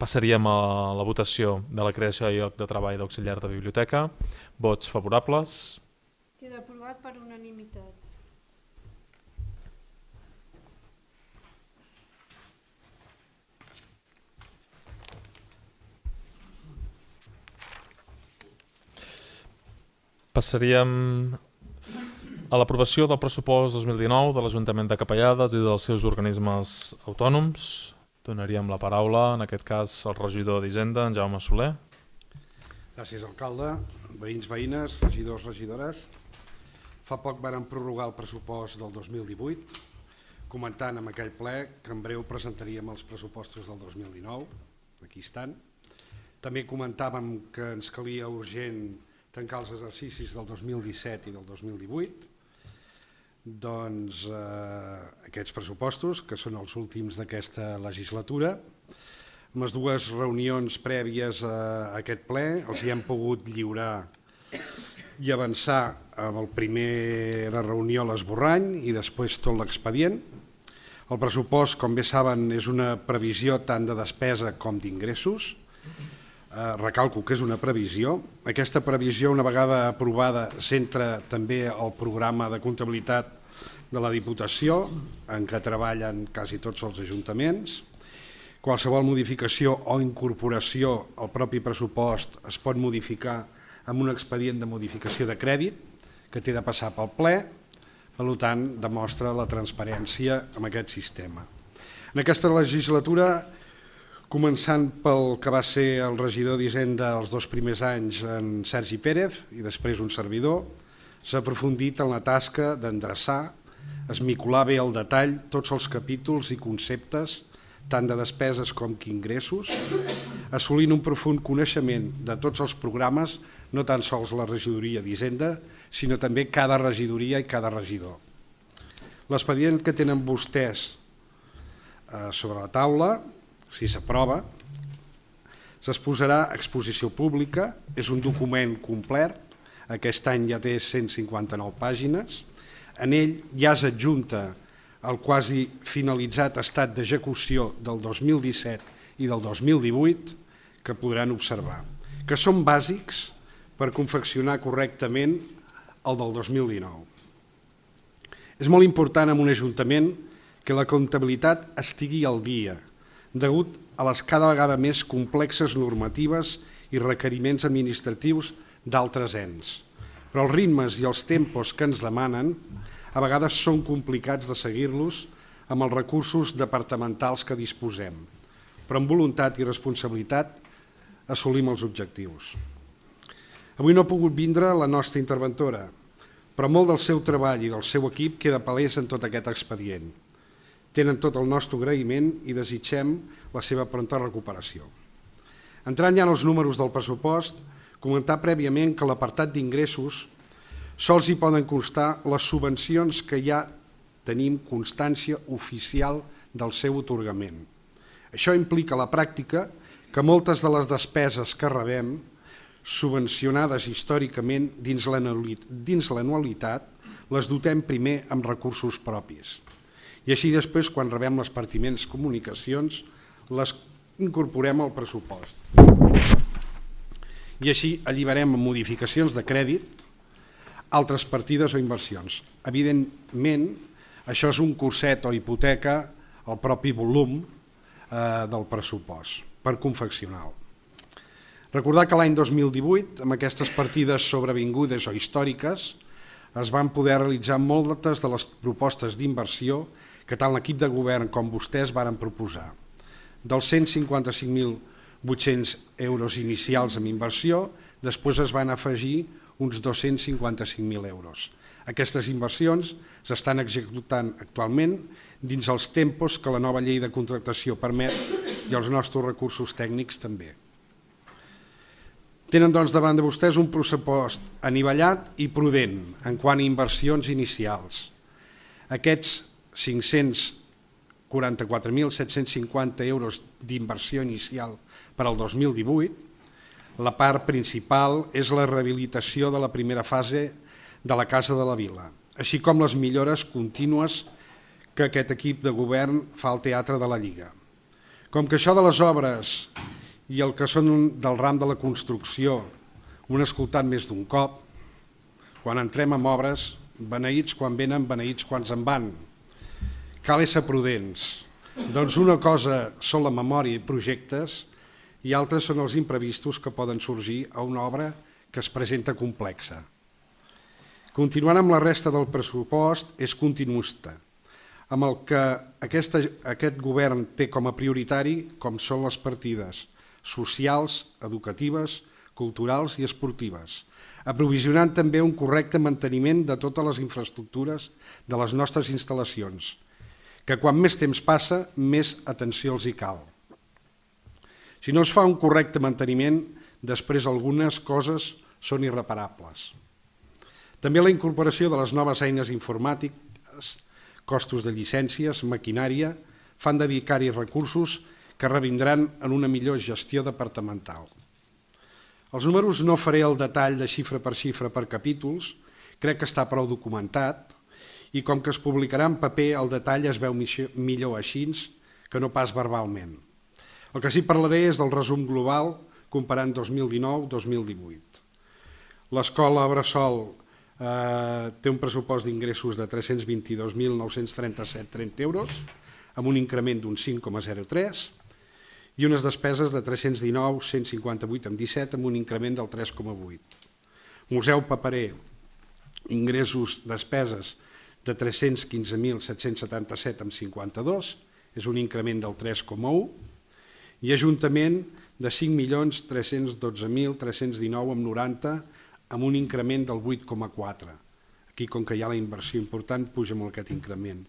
passaríem a la votació de la creació de lloc de treball d'auxiliar de biblioteca. Vots favorables. Queda aprovat per unanimitat. Passaríem a l'aprovació del pressupost dos mil dinou de l'Ajuntament de Capellades i dels seus organismes autònoms. Donaríem la paraula, en aquest cas, al regidor d'Hisenda, en Jaume Soler. Gràcies, alcalde. Veïns, veïnes, regidors, regidores. Fa poc vàrem prorrogar el pressupost del dos mil divuit, comentant en aquell ple que en breu presentaríem els pressupostos del dos mil dinou. Aquí estan. També comentàvem que ens calia urgent tancar els exercicis del dos mil disset i del dos mil divuit. Doncs eh, aquests pressupostos, que són els últims d'aquesta legislatura, amb les dues reunions prèvies a aquest ple els hi hem pogut lliurar i avançar amb el primer de reunió a l'esborrany i després tot l'expedient. El pressupost, com bé saben, és una previsió tant de despesa com d'ingressos. Eh, recalco que és una previsió. Aquesta previsió, una vegada aprovada, s'entra també al programa de comptabilitat de la Diputació, en què treballen quasi tots els ajuntaments. Qualsevol modificació o incorporació al propi pressupost es pot modificar amb un expedient de modificació de crèdit que té de passar pel ple, per tant, demostra la transparència amb aquest sistema. En aquesta legislatura, començant pel que va ser el regidor d'Hisenda els dos primers anys, en Sergi Pérez, i després un servidor, s'ha aprofundit en la tasca d'endreçar, esmicolar bé al detall tots els capítols i conceptes, tant de despeses com d'ingressos, assolint un profund coneixement de tots els programes, no tan sols la regidoria d'Hisenda, sinó també cada regidoria i cada regidor. L'expedient que tenen vostès sobre la taula, si s'aprova, s'exposarà a exposició pública, és un document complet, aquest any ja té cent cinquanta-nou pàgines, en ell ja s'adjunta el quasi finalitzat estat d'execució del dos mil disset i del dos mil divuit, que podran observar, que són bàsics per confeccionar correctament el del dos mil dinou. És molt important en un ajuntament que la comptabilitat estigui al dia, degut a les cada vegada més complexes normatives i requeriments administratius d'altres ens. Però els ritmes i els tempos que ens demanen a vegades són complicats de seguir-los amb els recursos departamentals que disposem, però amb voluntat i responsabilitat assolim els objectius. Avui no ha pogut vindre la nostra interventora, però molt del seu treball i del seu equip queda palès en tot aquest expedient. Tenen tot el nostre agraïment i desitgem la seva pronta recuperació. Entrant ja en els números del pressupost, comentar prèviament que l'apartat d'ingressos sols hi poden constar les subvencions que ja tenim constància oficial del seu atorgament. Això implica a la pràctica que moltes de les despeses que rebem, subvencionades històricament dins l'anualitat, les dotem primer amb recursos propis. I així després, quan rebem les pertinents comunicacions, les incorporem al pressupost. I així alliberem amb modificacions de crèdit altres partides o inversions. Evidentment, això és un curset o hipoteca al propi volum eh, del pressupost per confeccionar-lo. Recordar que l'any dos mil divuit, amb aquestes partides sobrevingudes o històriques, es van poder realitzar moltes de les propostes d'inversió que tant l'equip de govern com vostès varen proposar. Dels cent cinquanta-cinc mil vuit-cents euros inicials en inversió, després es van afegir uns dos-cents cinquanta-cinc mil euros. Aquestes inversions s'estan executant actualment dins els tempos que la nova llei de contractació permet i els nostres recursos tècnics també. Tenen doncs davant de vostès un pressupost anivellat i prudent en quant a inversions inicials. Aquests cinc-cents quaranta-quatre mil set-cents cinquanta euros d'inversió inicial per al dos mil divuit, la part principal és la rehabilitació de la primera fase de la Casa de la Vila, així com les millores contínues que aquest equip de govern fa al Teatre de la Lliga. Com que això de les obres i el que són del ram de la construcció ho han escoltat més d'un cop, quan entrem en obres, beneïts quan venen, beneïts quan se'n van. Cal ésser prudents. Doncs una cosa són la memòria i projectes i altres són els imprevistos que poden sorgir a una obra que es presenta complexa. Continuant amb la resta del pressupost és continuista, amb el que aquesta, aquest govern té com a prioritari com són les partides socials, educatives, culturals i esportives, aprovisionant també un correcte manteniment de totes les infraestructures de les nostres instal·lacions, que quan més temps passa, més atenció els hi cal. Si no es fa un correcte manteniment, després algunes coses són irreparables. També la incorporació de les noves eines informàtiques, costos de llicències, maquinària, fan dedicar-hi recursos que revindran en una millor gestió departamental. Els números no faré el detall de xifra per xifra per capítols, crec que està prou documentat, i com que es publicarà en paper, el detall es veu millor així que no pas verbalment. El que sí parlaré és del resum global comparant dos mil dinou dos mil divuit. L'escola Bressol eh, té un pressupost d'ingressos de tres-cents vint-i-dos mil nou-cents trenta-set coma trenta euros, amb un increment d'un cinc coma zero tres i unes despeses de tres-cents dinou mil cent cinquanta-vuit coma disset amb un increment del tres coma vuit. Museu Paperer, ingressos, despeses de tres-cents quinze mil set-cents setanta-set coma cinquanta-dos, és un increment del tres coma u, i Ajuntament de cinc milions tres-cents dotze mil tres-cents dinou coma noranta amb un increment del vuit coma quatre. Aquí, com que hi ha la inversió important, puja amb aquest increment.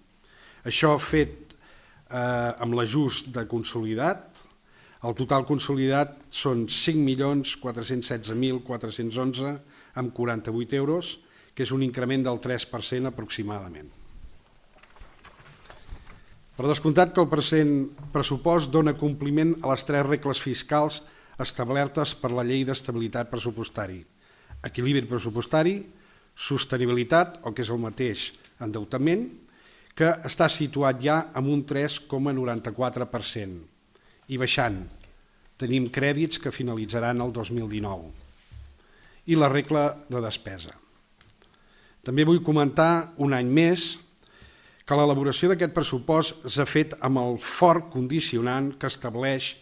Això fet eh, amb l'ajust de consolidat, el total consolidat són cinc milions quatre-cents setze mil quatre-cents onze amb quaranta-vuit euros, que és un increment del tres per cent aproximadament. Per descomptat que el present pressupost dona compliment a les tres regles fiscals establertes per la Llei d'Estabilitat Pressupostari: equilibri pressupostari, sostenibilitat, o que és el mateix, endeutament, que està situat ja en un tres coma noranta-quatre per cent i baixant. Tenim crèdits que finalitzaran el dos mil dinou. I la regla de despesa. També vull comentar un any més que l'elaboració d'aquest pressupost s'ha fet amb el fort condicionant que estableix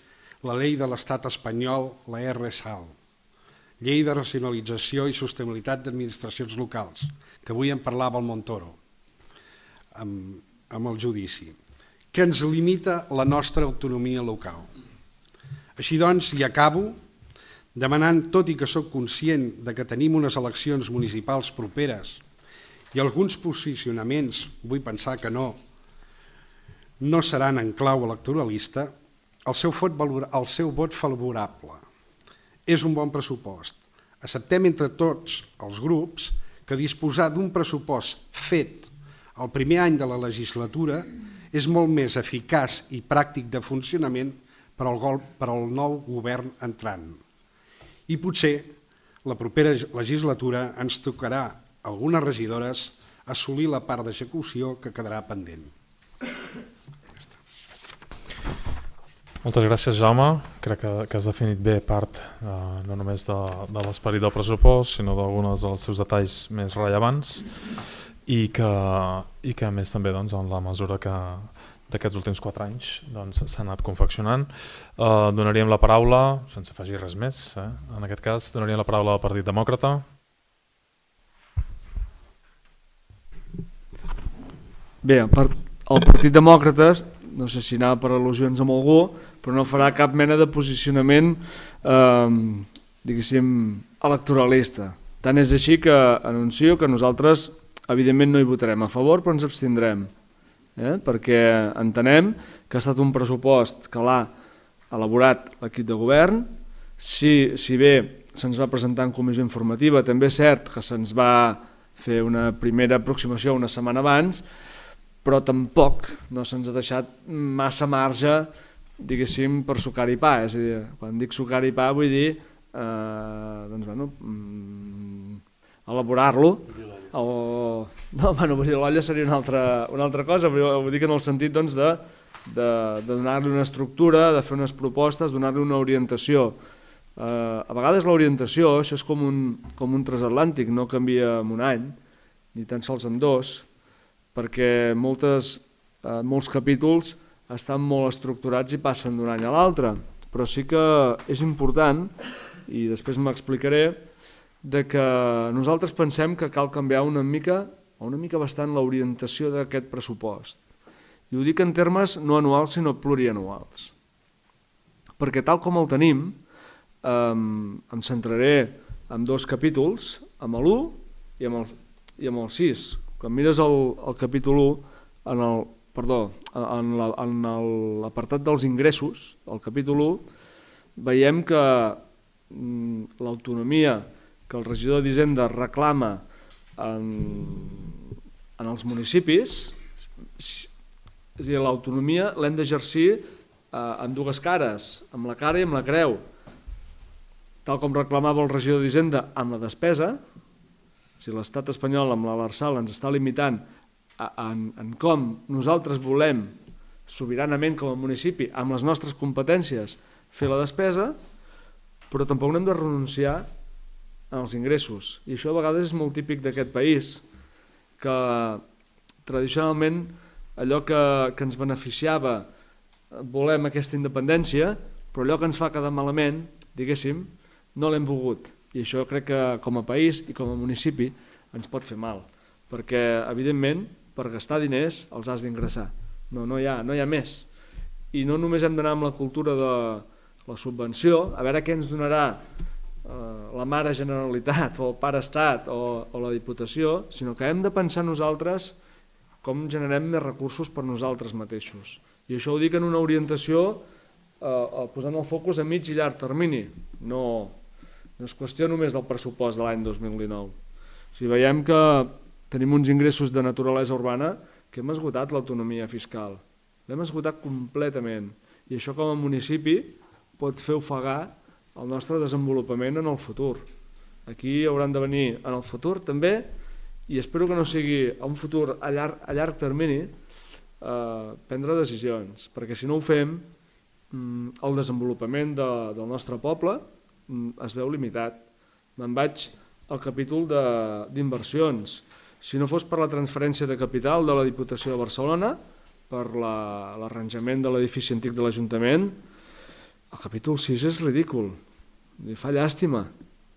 la llei de l'Estat espanyol, la R S A L, Llei de Racionalització i Sostenibilitat d'Administracions Locals, que avui en parlava el Montoro amb, amb el judici, que ens limita la nostra autonomia local. Així doncs, i acabo, demanant, tot i que soc conscient de que tenim unes eleccions municipals properes i alguns posicionaments, vull pensar que no, no seran en clau electoralista, el seu vot, el seu vot favorable. És un bon pressupost. Acceptem entre tots els grups que disposar d'un pressupost fet el primer any de la legislatura és molt més eficaç i pràctic de funcionament per al, per al nou govern entrant. I potser la propera legislatura ens tocarà algunes regidores assolir la part d'execució que quedarà pendent. Moltes gràcies, Jaume. Crec que, que has definit bé part eh, no només de, de l'esperit del pressupost, sinó d'alguns dels seus detalls més rellevants i que, i que a més també doncs, en la mesura que d'aquests últims quatre anys doncs, s'ha anat confeccionant. Eh, donaríem la paraula, sense afegir res més, eh? En aquest cas, donaríem la paraula al Partit Demòcrata. Bé, el, part, el Partit Demòcrates, no sé si anava per al·lusions amb algú, però no farà cap mena de posicionament eh, diguéssim electoralista. Tant és així que anuncio que nosaltres evidentment no hi votarem a favor, però ens abstindrem, eh? perquè entenem que ha estat un pressupost que l'ha elaborat l'equip de govern. Si, si bé se'ns va presentar en comissió informativa, també és cert que se'ns va fer una primera aproximació una setmana abans, però tampoc no se'ns ha deixat massa marge, diguéssim, per sucar i pa. És a dir, quan dic sucar i pa vull dir eh, doncs, bueno, mm, elaborar-lo. O, no, bueno, vull dir, l'olla seria una altra, una altra cosa, però ho dic en el sentit doncs, de, de, de donar-li una estructura, de fer unes propostes, donar-li una orientació. Eh, a vegades l'orientació, això és com un, com un transatlàntic, no canvia en un any, ni tan sols en dos, perquè moltes, eh, molts capítols estan molt estructurats i passen d'un any a l'altre, però sí que és important, i després m'explicaré, de que nosaltres pensem que cal canviar una mica, o una mica bastant, l'orientació d'aquest pressupost. I ho dic en termes no anuals, sinó plurianuals. Perquè tal com el tenim, eh, em centraré en dos capítols, amb l'u i amb el, i amb el sis. Quan mires el, el capítol u, en el, perdó, en l'apartat dels ingressos, el capítol u, veiem que mm, l'autonomia que el regidor d'Hisenda reclama en, en els municipis, és a dir, l'autonomia l'hem d'exercir eh, en dues cares, amb la cara i amb la creu, tal com reclamava el regidor d'Hisenda amb la despesa. Si l'estat espanyol amb l'Arsal ens està limitant en, en com nosaltres volem sobiranament com a municipi, amb les nostres competències, fer la despesa, però tampoc no hem de renunciar als ingressos. I això a vegades és molt típic d'aquest país, que tradicionalment allò que, que ens beneficiava, volem aquesta independència, però allò que ens fa quedar malament, diguéssim, no l'hem volgut. I això crec que com a país i com a municipi ens pot fer mal, perquè evidentment per gastar diners els has d'ingressar, no, no, hi ha, no hi ha més. I no només hem d'anar amb la cultura de la subvenció, a veure què ens donarà eh, la mare Generalitat o el pare Estat o, o la Diputació, sinó que hem de pensar nosaltres com generem més recursos per nosaltres mateixos. I això ho dic en una orientació eh, posant el focus a mig i llarg termini, no... No és qüestió només del pressupost de l'any dos mil dinou. Si veiem que tenim uns ingressos de naturalesa urbana que hem esgotat l'autonomia fiscal. L'hem esgotat completament. I això com a municipi pot fer ofegar el nostre desenvolupament en el futur. Aquí hauran de venir en el futur també, i espero que no sigui a un futur a llarg, a llarg termini, eh, prendre decisions, perquè si no ho fem, el desenvolupament de, del nostre poble es veu limitat. Me'n vaig al capítol d'inversions. Si no fos per la transferència de capital de la Diputació de Barcelona, per l'arranjament de l'edifici antic de l'Ajuntament, el capítol sis és ridícul. Li fa llàstima.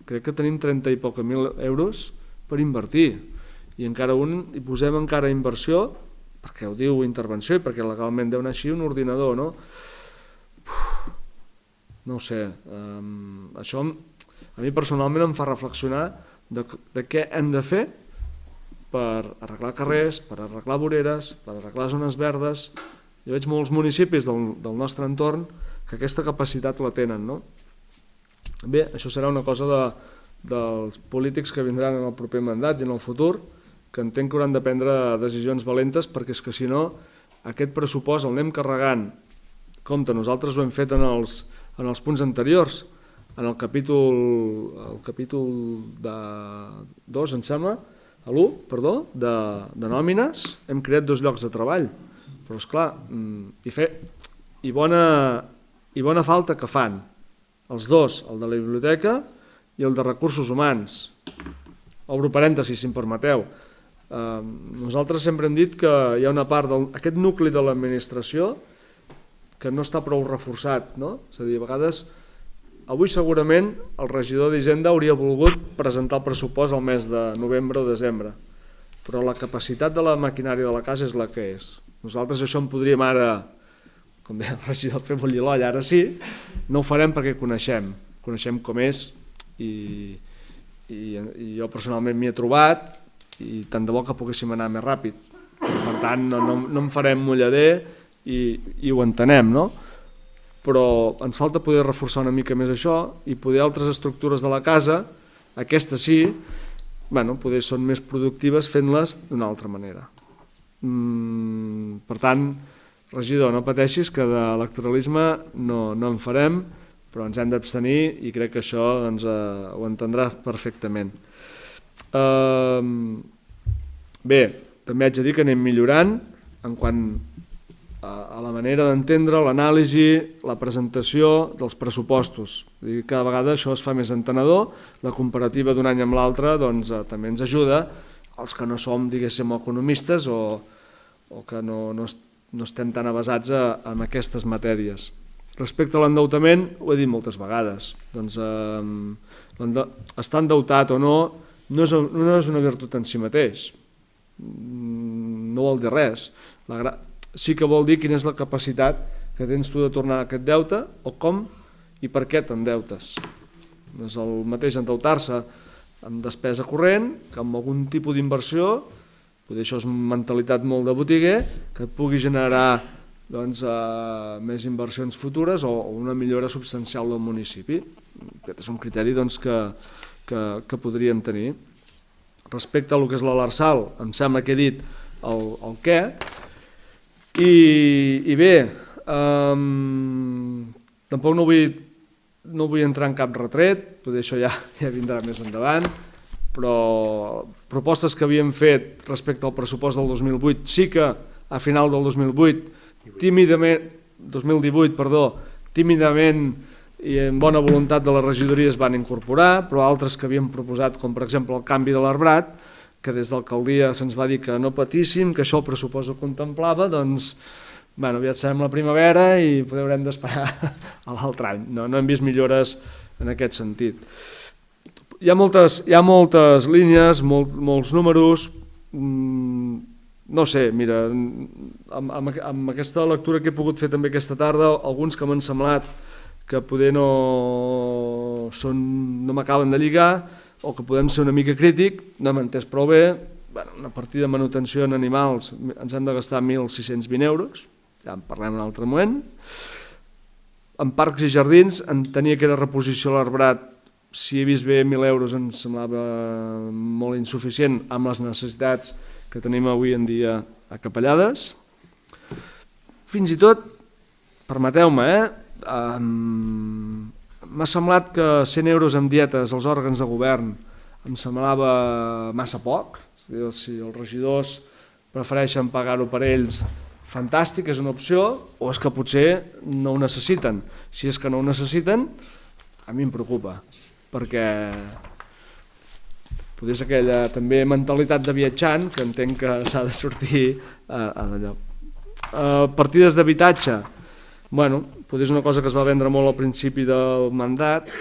Crec que tenim trenta i poc mil euros per invertir. I encara un hi posem encara inversió, perquè ho diu intervenció i perquè legalment deu anar així un ordinador, no? No ho sé, um, això a mi personalment em fa reflexionar de, de què hem de fer per arreglar carrers, per arreglar voreres, per arreglar zones verdes. Jo veig molts municipis del, del nostre entorn que aquesta capacitat la tenen, no? Bé, això serà una cosa de, dels polítics que vindran en el proper mandat i en el futur, que entenc que hauran de prendre decisions valentes, perquè és que si no, aquest pressupost el anem carregant. Compte, nosaltres ho hem fet en els en els punts anteriors, en el capítol, el capítol de dos, em sembla, a l'u, perdó, de, de nòmines, hem creat dos llocs de treball, però esclar, i, fer, i, bona, i bona falta que fan, els dos, el de la biblioteca i el de recursos humans. Obro parèntesis, si em permeteu. Eh, nosaltres sempre hem dit que hi ha una part d'aquest nucli de l'administració que no està prou reforçat, no? És a dir, a vegades, avui segurament el regidor d'Hisenda hauria volgut presentar el pressupost al mes de novembre o desembre, però la capacitat de la maquinària de la casa és la que és. Nosaltres això en podríem ara, com deia el regidor, fer bullir l'olla, ara sí, no ho farem perquè coneixem, coneixem com és i, i, i jo personalment m'hi he trobat i tant de bo que poguéssim anar més ràpid. Per tant, no, no, no en farem mullader i, i ho entenem, no? Però ens falta poder reforçar una mica més això i poder altres estructures de la casa, aquestes sí, bueno, poder són més productives fent-les d'una altra manera. Mm, per tant, regidor, no pateixis que d'electoralisme no, no en farem, però ens hem d'abstenir i crec que això doncs, eh, ho entendrà perfectament. Eh, bé, també haig de dir que anem millorant en quant a la manera d'entendre, l'anàlisi, la presentació dels pressupostos. Cada vegada això es fa més entenedor, la comparativa d'un any amb l'altre doncs, també ens ajuda, els que no som, diguéssim, economistes o, o que no, no, no estem tan avasats a, a aquestes matèries. Respecte a l'endeutament, ho he dit moltes vegades, doncs, eh, estar endeutat o no no és, no és una virtut en si mateix, no vol dir res. La gra... Sí que vol dir quina és la capacitat que tens tu de tornar aquest deute o com i per què t'endeutes. No és el mateix endeutar-se amb despesa corrent que amb algun tipus d'inversió, potser això és mentalitat molt de botiguer, que et pugui generar doncs, eh, més inversions futures o una millora substancial del municipi. Aquest és un criteri doncs, que, que, que podríem tenir. Respecte a lo que és l'Arsal, em sembla que he dit el, el què. I, i bé, um, tampoc no vull, no vull entrar en cap retret, potser això ja, ja vindrà més endavant, però propostes que havíem fet respecte al pressupost del dos mil vuit, sí que a final del dos mil vuit, tímidament, dos mil divuit, perdó, tímidament i amb bona voluntat de la regidoria es van incorporar, però altres que havíem proposat, com per exemple el canvi de l'arbrat, que des d'alcaldia se'ns va dir que no patíssim, que això el pressupost ho contemplava, doncs bueno, aviat serem la primavera i poder haurem d'esperar a l'altre any. No, no hem vist millores en aquest sentit. Hi ha moltes, hi ha moltes línies, molt, molts números, mmm, no sé, mira, amb, amb, amb aquesta lectura que he pogut fer també aquesta tarda, alguns que m'han semblat que poder no, són, no m'acaben de lligar, o que podem ser una mica crític, no m'he entès prou bé, bueno, una partida de manutenció en animals ens hem de gastar mil sis-cents vint euros, ja en parlem en un altre moment. En parcs i jardins, en tenia que era reposició a l'arbrat, si he vist bé mil euros em semblava molt insuficient amb les necessitats que tenim avui en dia acapellades. Fins i tot, permeteu-me, eh, amb... m'ha semblat que cent euros en dietes als òrgans de govern em semblava massa poc. Si els regidors prefereixen pagar-ho per ells, fantàstic, és una opció, o és que potser no ho necessiten. Si és que no ho necessiten, a mi em preocupa, perquè potser és aquella també mentalitat de viatjant que entenc que s'ha de sortir a, a d'allò. Uh, partides d'habitatge, bueno, potser és una cosa que es va vendre molt al principi del mandat,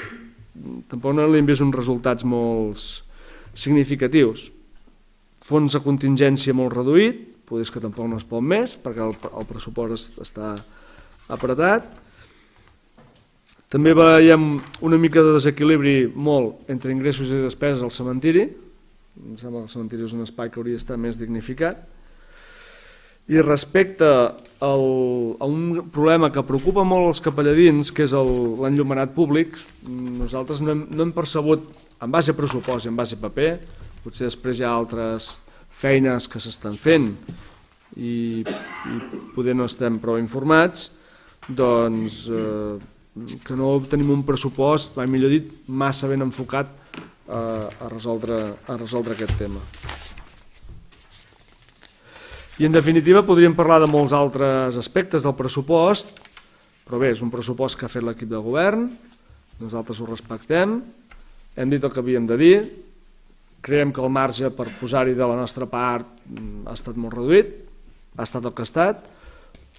tampoc no li hem vist uns resultats molt significatius. Fons de contingència molt reduït, potser és que tampoc no es pot més, perquè el, el pressupost està apretat. També veiem una mica de desequilibri molt entre ingressos i despeses al cementiri. Em sembla que el cementiri és un espai que hauria d'estar més dignificat. I respecte al, a un problema que preocupa molt els capelladins, que és l'enllumenat públic, nosaltres no hem, no hem percebut, en base a pressupost i en base a paper, potser després hi ha altres feines que s'estan fent i, i poder no estem prou informats, doncs eh, que no tenim un pressupost, mai millor dit, massa ben enfocat eh, a, resoldre, a resoldre aquest tema. I en definitiva podríem parlar de molts altres aspectes del pressupost, Però bé, és un pressupost que ha fet l'equip de govern, nosaltres ho respectem, hem dit el que havíem de dir, creiem que el marge per posar-hi de la nostra part ha estat molt reduït, ha estat el que ha estat,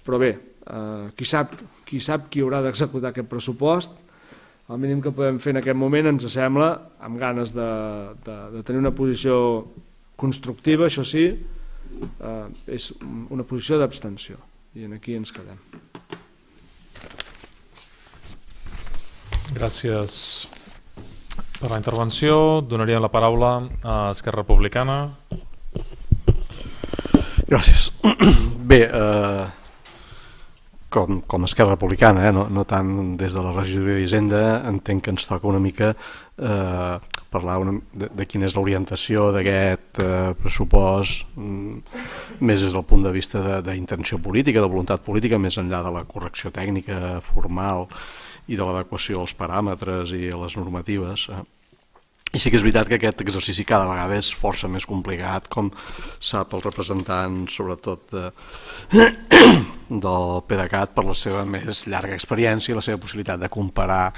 però bé, eh, qui sap qui sap qui haurà d'executar aquest pressupost, el mínim que podem fer en aquest moment ens sembla, amb ganes de, de, de tenir una posició constructiva, això sí, eh, és una posició d'abstenció, i aquí ens quedem. Gràcies per la intervenció. Donaria la paraula a Esquerra Republicana. Gràcies. Bé, eh, com, com a Esquerra Republicana, eh, no, no tant des de la regidoria d'Hisenda, entenc que ens toca una mica eh, parlar una, de, de quina és l'orientació d'aquest eh, pressupost, mm, més des del punt de vista d'intenció política, de voluntat política, més enllà de la correcció tècnica, formal, i de l'adequació als paràmetres i a les normatives. I sí que és veritat que aquest exercici cada vegada és força més complicat, com sap el representant, sobretot de, del PDeCAT, per la seva més llarga experiència i la seva possibilitat de comparar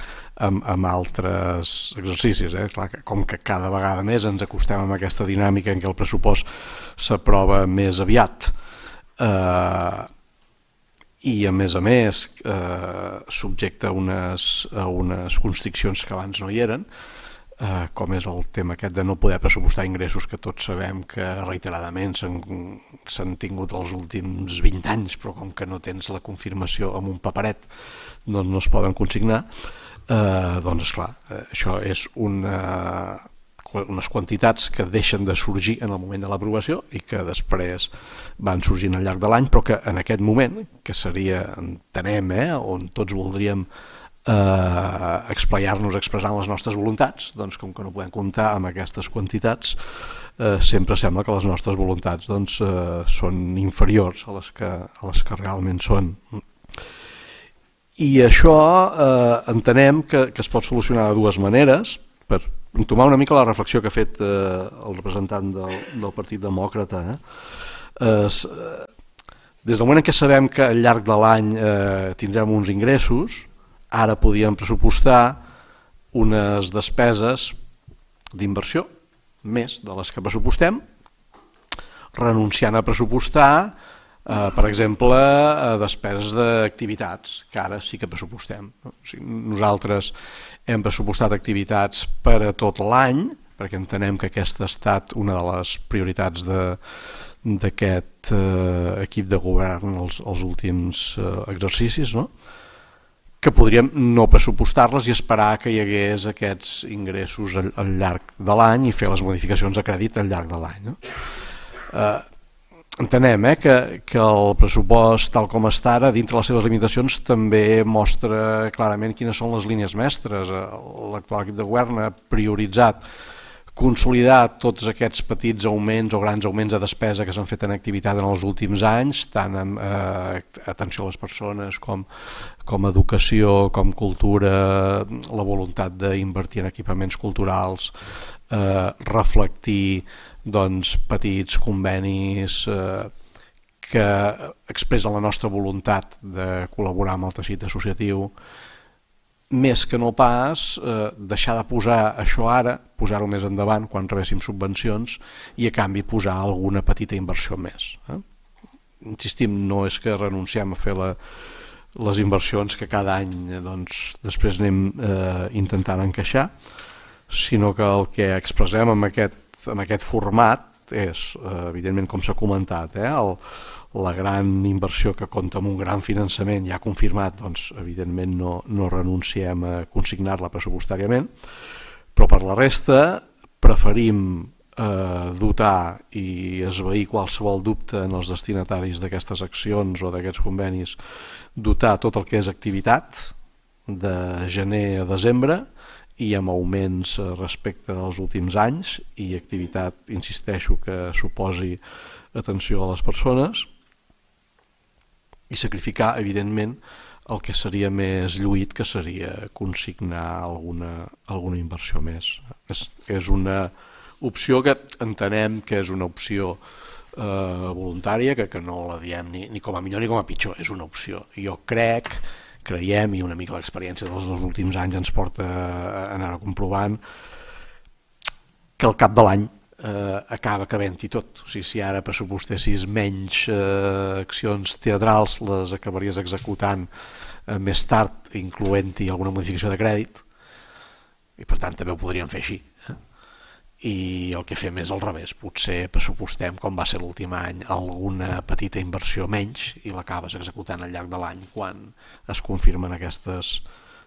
amb, amb altres exercicis. Eh? Clar, com que cada vegada més ens acostem amb aquesta dinàmica en què el pressupost s'aprova més aviat, eh, i a més a més eh, subjecte a unes, a unes constriccions que abans no hi eren, eh, com és el tema aquest de no poder pressupostar ingressos que tots sabem que reiteradament s'han tingut els últims vint anys, però com que no tens la confirmació amb un paperet doncs no es poden consignar, eh, doncs esclar, eh, això és una... unes quantitats que deixen de sorgir en el moment de l'aprovació i que després van sorgint al llarg de l'any, però que en aquest moment, que seria, entenem, eh, on tots voldríem eh, explayar-nos expressant les nostres voluntats, doncs com que no podem comptar amb aquestes quantitats, eh, sempre sembla que les nostres voluntats doncs, eh, són inferiors a les que, a les que realment són. I això eh, entenem que, que es pot solucionar de dues maneres, per entomar una mica la reflexió que ha fet eh, el representant del, del Partit Demòcrata. Eh? Eh, des del moment en què sabem que al llarg de l'any eh, tindrem uns ingressos, ara podíem pressupostar unes despeses d'inversió, més de les que pressupostem, renunciant a pressupostar, eh, per exemple, a despeses d'activitats, que ara sí que pressupostem. O sigui, nosaltres hem pressupostat activitats per a tot l'any, perquè entenem que aquesta ha estat una de les prioritats d'aquest eh, equip de govern els, els últims eh, exercicis, no? Que podríem no pressupostar-les i esperar que hi hagués aquests ingressos al, al llarg de l'any i fer les modificacions de crèdit al llarg de l'any. No? Eh, Entenem eh, que, que el pressupost tal com està ara, dintre les seves limitacions, també mostra clarament quines són les línies mestres. L'actual equip de govern ha prioritzat consolidar tots aquests petits augments o grans augments de despesa que s'han fet en activitat en els últims anys, tant en eh, atenció a les persones com, com educació, com cultura, la voluntat d'invertir en equipaments culturals, eh, reflectir doncs, petits convenis eh, que expressen la nostra voluntat de col·laborar amb el teixit associatiu, més que no pas eh, deixar de posar això ara, posar-ho més endavant quan rebéssim subvencions i a canvi posar alguna petita inversió més. Eh? Insistim, no és que renunciem a fer la, les inversions que cada any doncs, després anem eh, intentant encaixar, sinó que el que expressem amb aquest en aquest format és, evidentment, com s'ha comentat, eh, el, la gran inversió que compta amb un gran finançament ja confirmat, doncs, evidentment no, no renunciem a consignar-la pressupostàriament, però per la resta preferim eh, dotar i esvair qualsevol dubte en els destinataris d'aquestes accions o d'aquests convenis, dotar tot el que és activitat de gener a desembre, i amb augments respecte als últims anys i activitat, insisteixo, que suposi atenció a les persones, i sacrificar, evidentment, el que seria més lluït, que seria consignar alguna, alguna inversió més. És, és una opció que entenem que és una opció eh, voluntària, que, que no la diem ni, ni com a millor ni com a pitjor, és una opció. Jo crec creiem, i una mica l'experiència dels dos últims anys ens porta a anar comprovant, que al cap de l'any eh, acaba cabent-hi tot. O sigui, si ara pressupostessis menys eh, accions teatrals, les acabaries executant eh, més tard, incloent-hi alguna modificació de crèdit, i per tant també ho podríem fer així. Eh? I el que fem és al revés, potser pressupostem, com va ser l'últim any, alguna petita inversió menys i l'acabes executant al llarg de l'any quan es confirmen aquestes,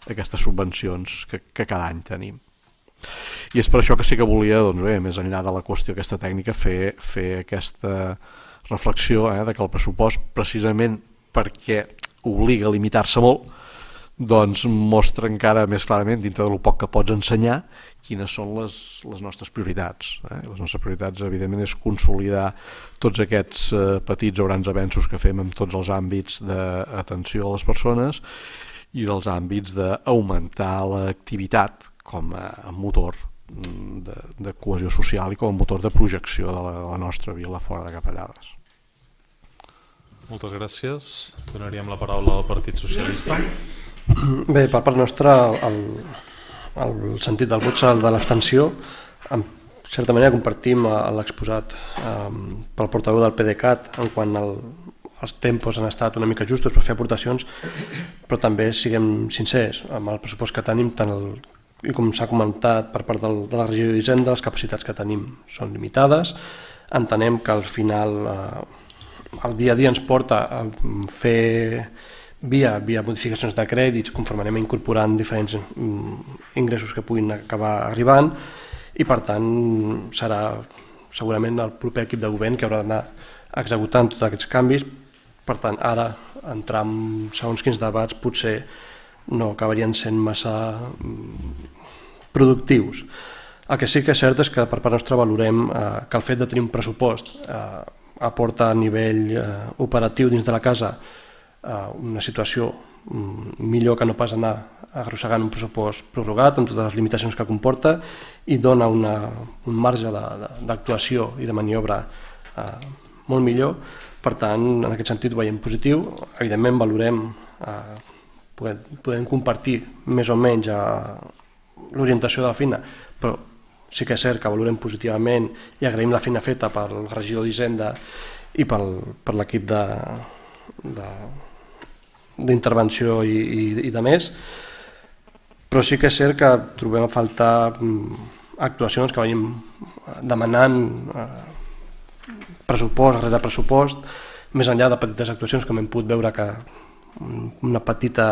aquestes subvencions que, que cada any tenim. I és per això que sí que volia, doncs bé, més enllà de la qüestió aquesta tècnica, fer, fer aquesta reflexió eh, de que el pressupost, precisament perquè obliga a limitar-se molt, doncs mostra encara més clarament, dintre del poc que pots ensenyar, quines són les, les nostres prioritats. Eh? Les nostres prioritats, evidentment, és consolidar tots aquests eh, petits o grans avenços que fem en tots els àmbits d'atenció a les persones i dels àmbits d'augmentar l'activitat com a motor de, de cohesió social i com a motor de projecció de la, de la nostra vila fora de Capellades. Moltes gràcies. Donaríem la paraula al Partit Socialista. Bé, per part nostra, el, el sentit del vot serà el de l'abstenció. En certa manera compartim l'exposat eh, pel portaveu del P D C A T en quant al, els tempos han estat una mica justos per fer aportacions, però també siguem sincers amb el pressupost que tenim, tant el, i com s'ha comentat per part del, de la regió d'Hisenda, les capacitats que tenim són limitades. Entenem que al final eh, el dia a dia ens porta a fer via, via modificacions de crèdits, conforme anem incorporant diferents ingressos que puguin acabar arribant, i per tant serà segurament el proper equip de govern que haurà d'anar executant tots aquests canvis. Per tant, ara entrar en segons quins debats potser no acabarien sent massa productius. El que sí que és cert és que per part nostra valorem eh, que el fet de tenir un pressupost eh, aporta a nivell eh, operatiu dins de la casa eh, una situació mm, millor que no pas anar arrossegant un pressupost prorrogat amb totes les limitacions que comporta, i dona una, un marge d'actuació i de maniobra eh, molt millor. Per tant, en aquest sentit ho veiem positiu. Evidentment valorem eh, Podem, podem compartir més o menys l'orientació de la feina, però sí que és cert que valorem positivament i agraïm la feina feta pel regidor d'Hisenda i pel, per l'equip d'intervenció i, i, i de més, però sí que és cert que trobem a faltar actuacions que venim demanant eh, pressupost rere pressupost, més enllà de petites actuacions com hem pogut veure que una petita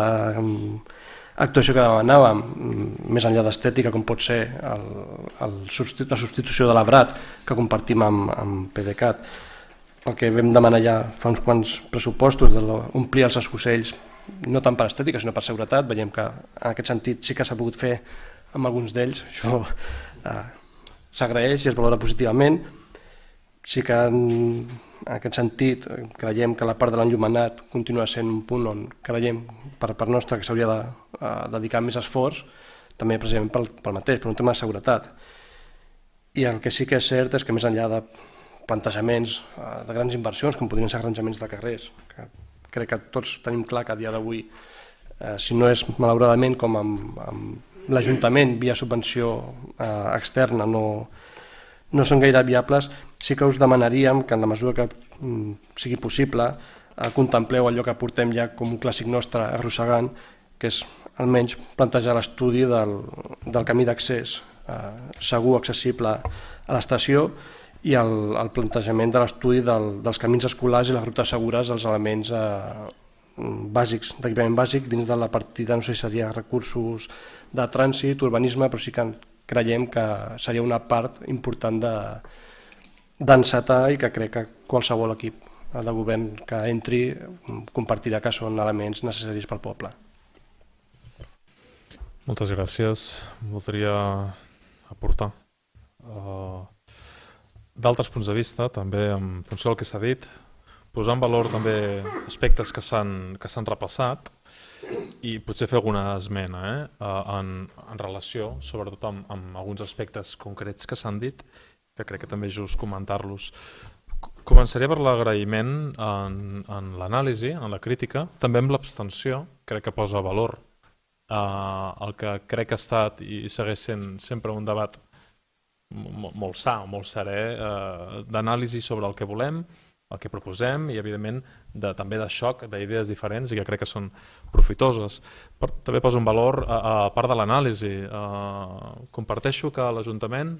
actuació que demanàvem, més enllà d'estètica, com pot ser el, el, la substitució de l'Abrat, que compartim amb, amb P D C A T. El que vam demanar ja fa uns quants pressupostos, d'omplir els escocells, no tant per estètica, sinó per seguretat. Veiem que en aquest sentit sí que s'ha pogut fer amb alguns d'ells. Això eh, s'agraeix i es valora positivament. Sí que en, en aquest sentit creiem que la part de l'enllumenat continua sent un punt on creiem per part nostra que s'hauria de uh, dedicar més esforç, també precisament pel, pel mateix, per un tema de seguretat. I el que sí que és cert és que més enllà de plantejaments uh, de grans inversions, com podrien ser arranjaments de carrers, que crec que tots tenim clar que a dia d'avui, uh, si no és malauradament com amb, amb l'Ajuntament via subvenció uh, externa no no són gaire viables, sí que us demanaríem que en la mesura que mm, sigui possible eh, contempleu allò que portem ja com un clàssic nostre arrossegant, que és almenys plantejar l'estudi del, del camí d'accés eh, segur, accessible a l'estació, i el, el plantejament de l'estudi del, dels camins escolars i les rutes segures, els elements eh, bàsics, d'equipament bàsic dins de la partida, no sé si seria recursos de trànsit, urbanisme, però sí que creiem que seria una part important d'encetar i que crec que qualsevol equip de govern que entri compartirà que són elements necessaris pel poble. Moltes gràcies. Voldria aportar uh, d'altres punts de vista, també en funció del que s'ha dit, posar en valor també aspectes que s'han que s'han repassat i potser fer alguna esmena eh? en, en relació, sobretot amb, amb alguns aspectes concrets que s'han dit, que crec que també és just comentar-los. Començaria per l'agraïment en, en l'anàlisi, en la crítica, també amb l'abstenció, crec que posa valor uh, el que crec que ha estat i segueix sent sempre un debat molt, molt sa, molt serè, uh, d'anàlisi sobre el que volem, el que proposem i, evidentment, de, també de xoc d'idees diferents i que crec que són profitoses. Per, també poso un valor a, a part de l'anàlisi. Uh, comparteixo que l'Ajuntament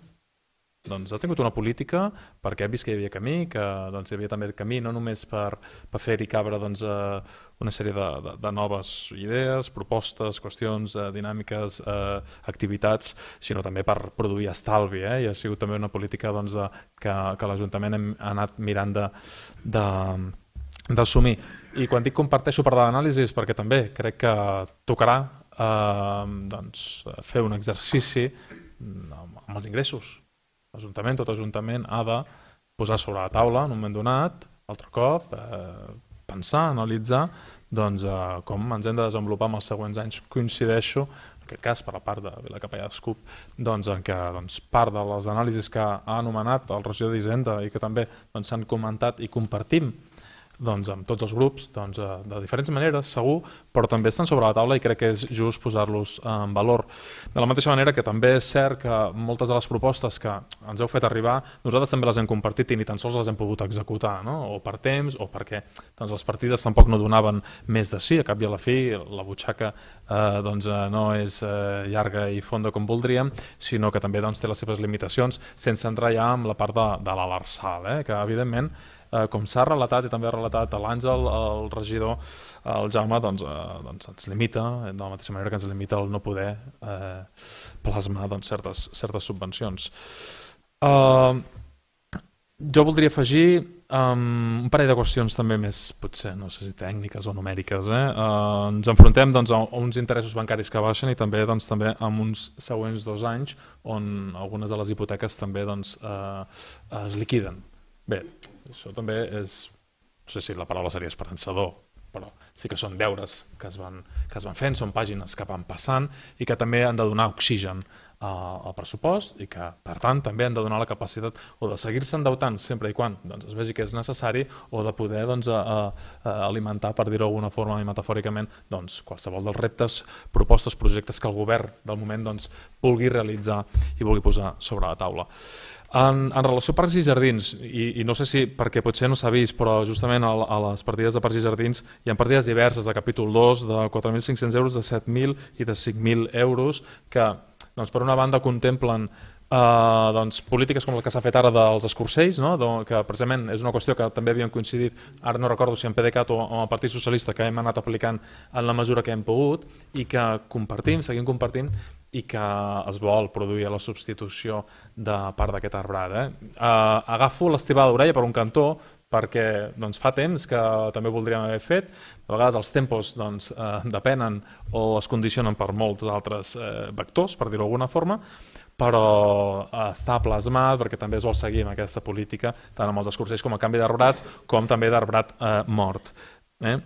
doncs, ha tingut una política perquè ha vist que hi havia camí, que doncs, hi havia també camí no només per, per fer-hi cabre doncs, eh, una sèrie de, de, de noves idees, propostes, qüestions, eh, dinàmiques, eh, activitats, sinó també per produir estalvi. Eh? I ha sigut també una política doncs, de, que, que l'Ajuntament ha anat mirant d'assumir. I quan dic comparteixo part de l'anàlisi és perquè també crec que tocarà eh, doncs, fer un exercici amb, amb els ingressos. L'Ajuntament, tot Ajuntament ha de posar sobre la taula en un moment donat, altre cop, eh, pensar, analitzar doncs, eh, com ens hem de desenvolupar en els següents anys. Coincideixo, en aquest cas per la part de Vilacapellà d'Escup, doncs, en què doncs, part de les anàlisis que ha anomenat el regidor d'Hisenda i que també s'han doncs, comentat i compartim doncs, amb tots els grups, doncs, de diferents maneres, segur, però també estan sobre la taula i crec que és just posar-los en valor. De la mateixa manera que també és cert que moltes de les propostes que ens heu fet arribar, nosaltres també les hem compartit i ni tan sols les hem pogut executar, no? O per temps o perquè doncs, les partides tampoc no donaven més de sí, a cap i a la fi la butxaca eh, doncs, no és eh, llarga i fonda com voldríem, sinó que també doncs, té les seves limitacions, sense entrar ja en la part de, de l'Arsal, eh? Que evidentment Eh, com s'ha relatat i també ha relatat l'Àngel, el regidor, el Jaume, doncs, eh, doncs ens limita, de la mateixa manera que ens limita el no poder eh, plasmar doncs, certes, certes subvencions. Eh, jo voldria afegir um, un parell de qüestions també més, potser, no sé si tècniques o numèriques. Eh? Eh, ens enfrontem doncs, a uns interessos bancaris que baixen i també, doncs, també amb uns següents dos anys on algunes de les hipoteques també doncs, eh, es liquiden. Bé, això també és, no sé si la paraula seria esperançador, però sí que són deures que es van, que es van fent, són pàgines que van passant i que també han de donar oxigen al pressupost i que, per tant, també han de donar la capacitat o de seguir-se endeutant sempre i quan doncs, es vegi que és necessari o de poder doncs, a, a alimentar, per dir-ho d'alguna forma i metafòricament, doncs, qualsevol dels reptes, propostes, projectes que el govern del moment doncs, vulgui realitzar i vulgui posar sobre la taula. En, en relació a parcs i jardins, i, i no sé si perquè potser no s'ha vist, però justament a, a les partides de parcs i jardins hi ha partides diverses de capítol dos, de quatre mil cinc-cents euros, de set mil i de cinc mil euros, que doncs, per una banda contemplen Uh, doncs, polítiques com la que s'ha fet ara dels escorcells, no? Que precisament és una qüestió que també havíem coincidit, ara no recordo si en PDeCAT o amb el Partit Socialista, que hem anat aplicant en la mesura que hem pogut i que compartim, seguim compartint i que es vol produir la substitució de part d'aquest arbrat. Eh? Uh, agafo l'estibada d'orella per un cantó perquè doncs, fa temps que també voldríem haver fet, a vegades els tempos doncs, eh, depenen o es condicionen per molts altres eh, vectors, per dir-ho d'alguna forma, però està plasmat perquè també es vol seguir amb aquesta política tant amb els escorcells com a canvi d'arbrats com també d'arbrat eh, mort. Eh?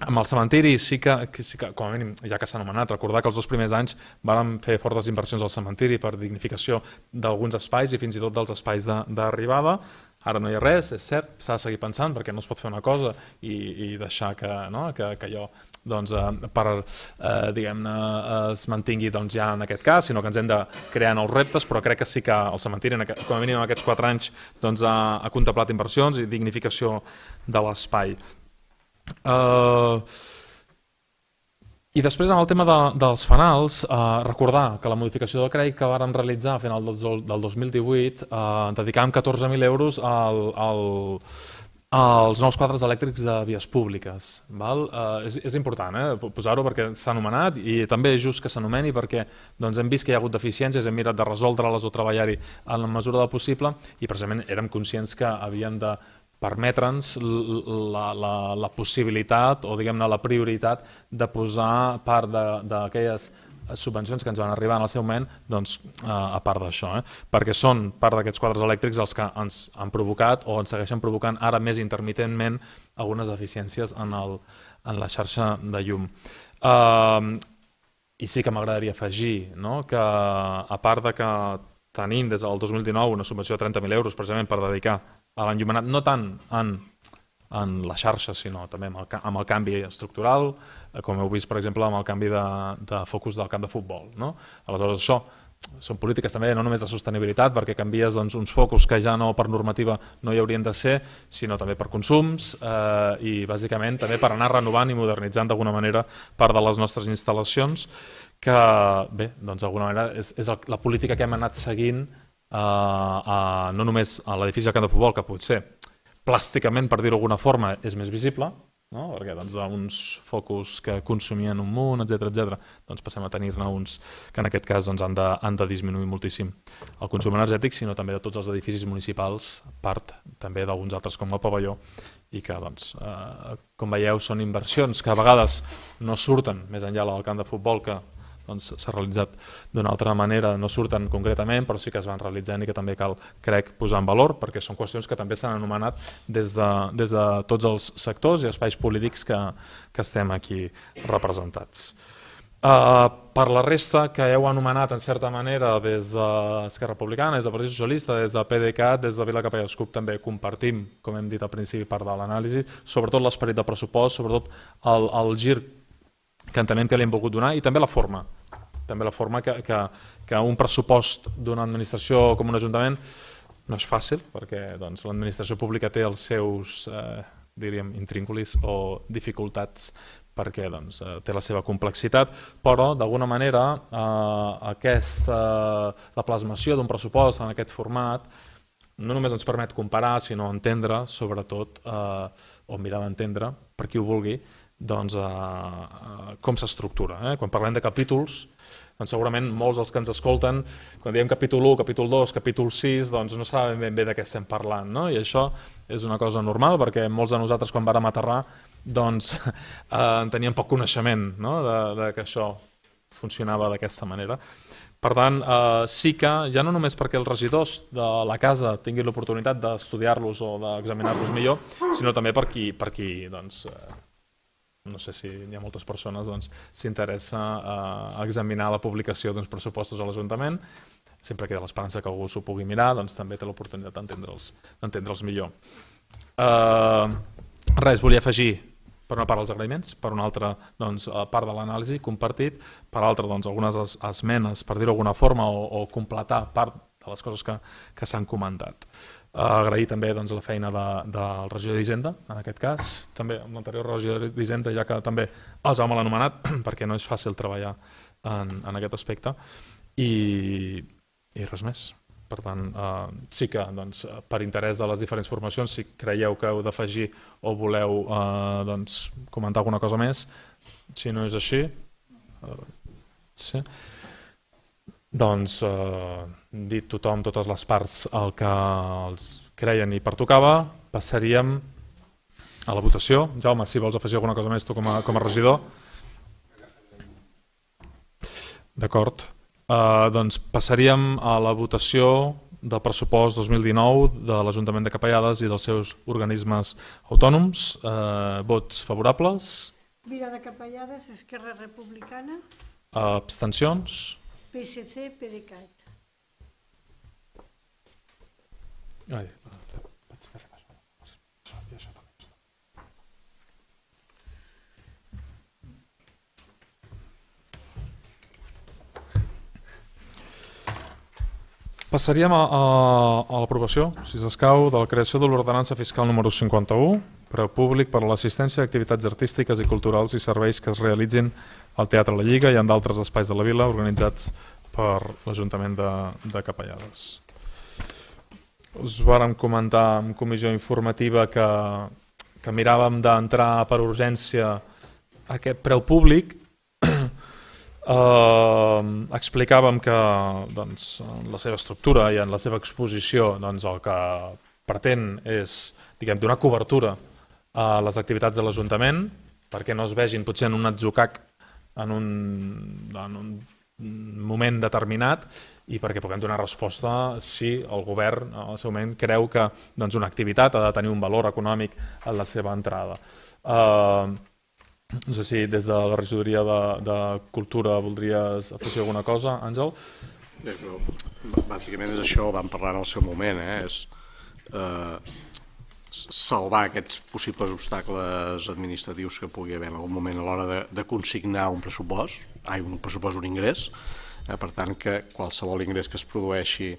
Amb el cementiri sí que, sí que, com a mínim, ja que s'ha anomenat, recordar que els dos primers anys vàrem fer fortes inversions al cementiri per dignificació d'alguns espais i fins i tot dels espais d'arribada. Ara no hi ha res, és cert, s'ha de seguir pensant perquè no es pot fer una cosa i, i deixar que, no, que, que allò doncs, eh, per, eh, diguem-ne, es mantingui doncs, ja en aquest cas, sinó que ens hem de crear nous reptes, però crec que sí que el cementiri, en aquest, com a mínim en aquests quatre anys, doncs, ha, ha contemplat inversions i dignificació de l'espai. Uh, I després en el tema de, dels fanals, eh, recordar que la modificació del crèdit que vàrem realitzar a final del, del dos mil divuit eh, dedicàvem catorze mil euros al, al, als nous quadres elèctrics de vies públiques. Val? Eh, és, és important eh, posar-ho perquè s'ha anomenat i també és just que s'anomeni perquè doncs, hem vist que hi ha hagut deficiències, hem mirat de resoldre-les o treballar-hi en la mesura del possible i precisament érem conscients que havíem de permetre'ns la, la, la possibilitat o diguem-ne la prioritat de posar part d'aquelles subvencions que ens van arribar en el seu moment doncs, a part d'això, eh? Perquè són part d'aquests quadres elèctrics els que ens han provocat o ens segueixen provocant ara més intermitentment algunes deficiències en, el, en la xarxa de llum. Uh, I sí que m'agradaria afegir no? Que a part de que tenim des del dos mil dinou una subvenció de trenta mil euros precisament per dedicar a l'enllumenat, no tant en, en la xarxa, sinó també amb el, amb el canvi estructural, com heu vist, per exemple, amb el canvi de, de focus del camp de futbol. No? Aleshores, això són polítiques també no només de sostenibilitat, perquè canvies doncs, uns focus que ja no per normativa no hi haurien de ser, sinó també per consums eh, i bàsicament també per anar renovant i modernitzant d'alguna manera part de les nostres instal·lacions, que bé, doncs d'alguna manera és, és el, la política que hem anat seguint eh, a, no només a l'edifici del camp de futbol, que potser plàsticament, per dir-ho d'alguna forma, és més visible, no? Perquè doncs, d'uns focus que consumien un munt, etcètera, etcètera, doncs passem a tenir-ne uns que en aquest cas doncs, han, de, han de disminuir moltíssim el consum energètic, sinó també de tots els edificis municipals, part també d'alguns altres com el pavelló, i que, doncs, eh, com veieu, són inversions que a vegades no surten més enllà del camp de futbol, que doncs, s'ha realitzat d'una altra manera, no surten concretament, però sí que es van realitzant i que també cal, crec, posar en valor, perquè són qüestions que també s'han anomenat des de, des de tots els sectors i espais polítics que, que estem aquí representats. Uh, per la resta, que heu anomenat en certa manera des d'Esquerra Republicana, des del Partit Socialista, des de P D C A T, des de Vila Capella Escup, també compartim, com hem dit al principi, part de l'anàlisi, sobretot l'esperit de pressupost, sobretot el, el gir que entenem que li hem volgut donar, i també la forma. També la forma que, que, que un pressupost d'una administració com un ajuntament no és fàcil, perquè doncs, l'administració pública té els seus eh, diríem, intrínculis o dificultats, perquè doncs, té la seva complexitat, però d'alguna manera eh, aquesta, la plasmació d'un pressupost en aquest format no només ens permet comparar, sinó entendre, sobretot, eh, o mirar d'entendre, per qui ho vulgui, doncs, eh, com s'estructura. Eh? Quan parlem de capítols, doncs segurament molts dels que ens escolten, quan diem capítol u, capítol dos, capítol sis, doncs no saben ben bé de què estem parlant. No? I això és una cosa normal, perquè molts de nosaltres quan vàrem aterrar doncs, eh, en teníem poc coneixement, no? de, de que això funcionava d'aquesta manera. Per tant, eh, sí que, ja no només perquè els regidors de la casa tinguin l'oportunitat d'estudiar-los o d'examinar-los millor, sinó també per qui, per qui doncs, eh, no sé si hi ha moltes persones, doncs, s'interessa a examinar la publicació d'uns pressupostos a l'Ajuntament, sempre queda l'esperança que algú s'ho pugui mirar, doncs també té l'oportunitat d'entendre'ls d'entendre'ls millor. Uh, res, volia afegir per una part els agraïments, per una altra doncs, part de l'anàlisi compartit, per altra doncs, algunes esmenes, per dir-ho d'alguna forma, o, o completar part de les coses que, que s'han comentat. Uh, agrair també doncs, la feina de, del regidor d'Hisenda, en aquest cas, també amb l'anterior regidor d'Hisenda, ja que també els hem anomenat, perquè no és fàcil treballar en, en aquest aspecte, i, i res més. Per tant, uh, sí que doncs, per interès de les diferents formacions, si creieu que heu d'afegir o voleu uh, doncs, comentar alguna cosa més, si no és així, uh, sí. Doncs, eh, dit tothom, totes les parts el que els creien i pertocava, passaríem a la votació. Jaume, si vols afegir alguna cosa més tu com a, com a regidor. D'acord. Eh, doncs passaríem a la votació del pressupost dos mil dinou de l'Ajuntament de Capellades i dels seus organismes autònoms. Eh, vots favorables? Vila de Capellades, Esquerra Republicana. Eh, abstencions? P S C, P D C A T. Ai, passaríem a, a, a l'aprovació, si s'escau, de la creació de l'ordenança fiscal número cinquanta-u, preu públic per a l'assistència d'activitats artístiques i culturals i serveis que es realitzin al Teatre La Lliga i en d'altres espais de la vila organitzats per l'Ajuntament de, de Capellades. Us vàrem comentar en comissió informativa que, que miràvem d'entrar per urgència aquest preu públic. Uh, explicàvem que doncs, en la seva estructura i en la seva exposició doncs, el que pretén és diguem, donar cobertura a les activitats de l'Ajuntament perquè no es vegin potser en un atzucac en un, en un moment determinat i perquè puguem donar resposta si el govern al seu moment creu que doncs, una activitat ha de tenir un valor econòmic en la seva entrada. Uh, No sé si des de la regidoria de, de Cultura voldries afegir alguna cosa, Àngel? Bàsicament és això, vam parlar en el seu moment, eh? És eh, salvar aquests possibles obstacles administratius que pugui haver en algun moment a l'hora de, de consignar un pressupost, ai, un pressupost, un ingrés, eh, per tant que qualsevol ingrés que es produeixi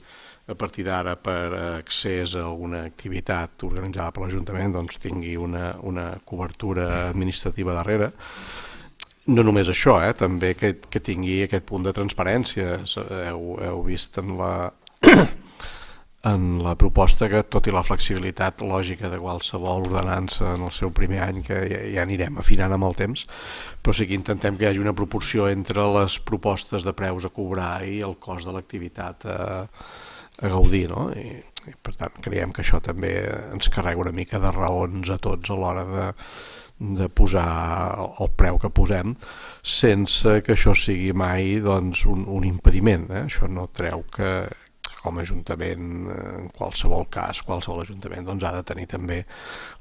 a partir d'ara per accés a alguna activitat organitzada per l'Ajuntament doncs tingui una, una cobertura administrativa darrere. No només això, eh, també que, que tingui aquest punt de transparència. Heu, heu vist en la, en la proposta que, tot i la flexibilitat lògica de qualsevol ordenança en el seu primer any, que ja, ja anirem afinant amb el temps, però sí que intentem que hi hagi una proporció entre les propostes de preus a cobrar i el cost de l'activitat a, a gaudir, no? I, i per tant creiem que això també ens carrega una mica de raons a tots a l'hora de de posar el preu que posem sense que això sigui mai doncs, un, un impediment. Eh? Això no treu que com a Ajuntament, en qualsevol cas, qualsevol Ajuntament doncs, ha de tenir també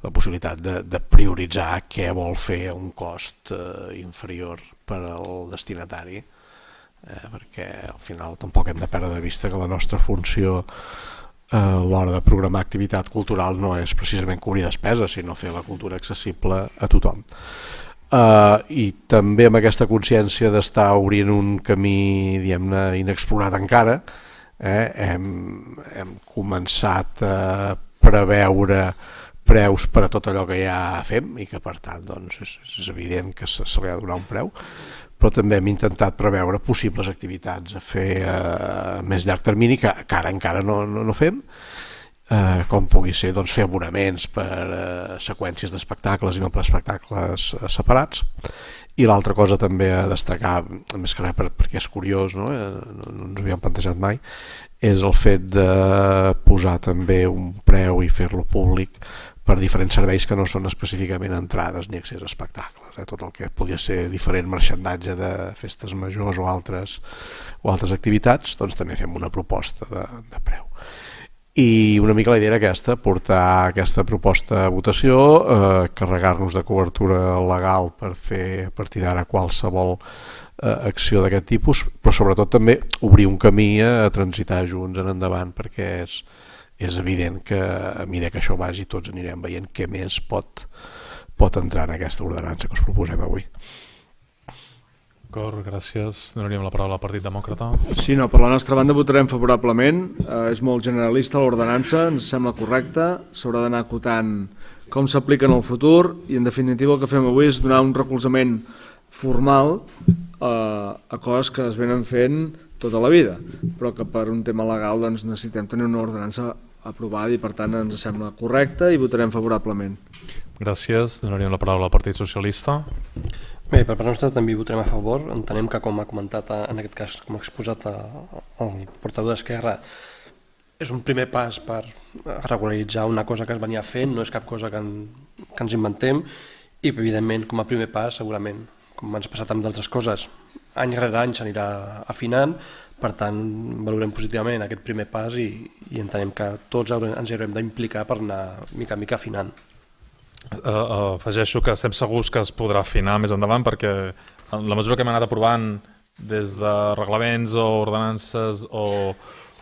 la possibilitat de, de prioritzar què vol fer a un cost eh, inferior per al destinatari, eh, perquè al final tampoc hem de perdre de vista que la nostra funció a l'hora de programar activitat cultural no és precisament cobrir despeses, sinó fer la cultura accessible a tothom. Uh, I també amb aquesta consciència d'estar obrint un camí, diguem-ne, inexplorat encara, eh, hem, hem començat a preveure preus per a tot allò que ja fem i que per tant doncs, és, és evident que se, se li ha de donar un preu, però també hem intentat preveure possibles activitats a fer a més llarg termini que, que ara encara no, no, no fem, eh, com pugui ser doncs, fer abonaments per eh, seqüències d'espectacles i no per espectacles eh, separats. I l'altra cosa també a destacar, més que res per, perquè és curiós, no? Eh, no, no ens havíem plantejat mai, és el fet de posar també un preu i fer-lo públic per diferents serveis que no són específicament entrades ni accés a espectacles. Eh? Tot el que podia ser diferent marxandatge de festes majors o altres, o altres activitats, doncs també fem una proposta de, de preu. I una mica la idea era aquesta, portar aquesta proposta a votació, eh, carregar-nos de cobertura legal per fer a partir d'ara qualsevol eh, acció d'aquest tipus, però sobretot també obrir un camí a transitar junts en endavant, perquè és és evident que a mesura que això vagi tots anirem veient què més pot, pot entrar en aquesta ordenança que us proposem avui. D'acord, gràcies. Donaríem la paraula al Partit Demòcrata. Sí, no, per la nostra banda votarem favorablement. Eh, és molt generalista l'ordenança, ens sembla correcta, s'haurà d'anar acotant com s'aplica en el futur i en definitiva el que fem avui és donar un recolzament formal eh, a coses que es venen fent tota la vida, però que per un tema legal doncs, necessitem tenir una ordenança aprovada i per tant ens sembla correcta i votarem favorablement. Gràcies. Donaríem la paraula al Partit Socialista. Bé, per part nostra també hi votarem a favor. Entenem que, com ha comentat en aquest cas, com ha exposat el portaveu d'Esquerra, és un primer pas per regularitzar una cosa que es venia fent, no és cap cosa que, en, que ens inventem i evidentment com a primer pas segurament, com ens ha passat amb d'altres coses, any rere any s'anirà afinant, per tant valorem positivament aquest primer pas i, i entenem que tots ens hi haurem d'implicar per anar mica a mica afinant. Uh, uh, afegeixo que estem segurs que es podrà afinar més endavant perquè en la mesura que hem anat aprovant des de reglaments o ordenances o,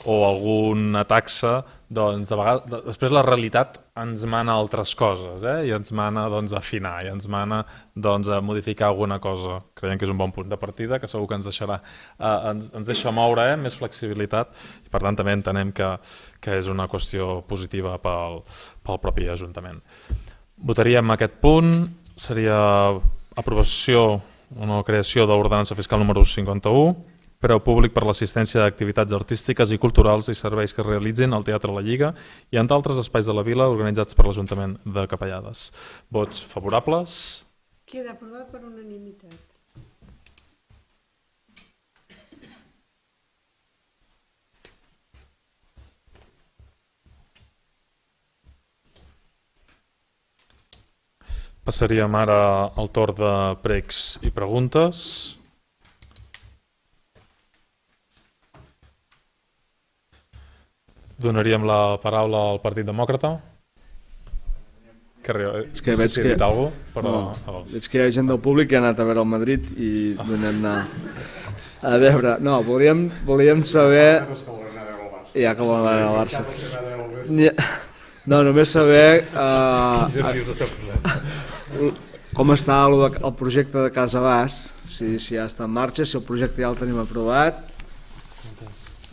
o alguna taxa, doncs de vegades, després la realitat ens mana altres coses, eh? I ens mana doncs, a afinar, i ens mana doncs, a modificar alguna cosa. Creiem que és un bon punt de partida, que segur que ens deixarà, eh, ens, ens deixa moure eh? Més flexibilitat, i per tant també entenem que, que és una qüestió positiva pel, pel propi Ajuntament. Votaríem aquest punt, seria aprovació o no creació de l'ordenança fiscal número cinquanta-u, preu públic per l'assistència d'activitats artístiques i culturals i serveis que es realitzin al Teatre La Lliga i en d'altres espais de la vila organitzats per l'Ajuntament de Capellades. Vots favorables? Queda aprovat per unanimitat. Passaríem ara al torn de pregs i preguntes. Donaríem la paraula al Partit Demòcrata. Que és que veig que... Algú, però... no, veig que hi ha gent del públic que ha anat a veure el Madrid i donem anar... A veure, no, volíem, volíem saber... Ja que volen anar al Barça. No, només saber eh, com està el, el projecte de Casa Bas, si, si ja està en marxa, si el projecte ja el tenim aprovat.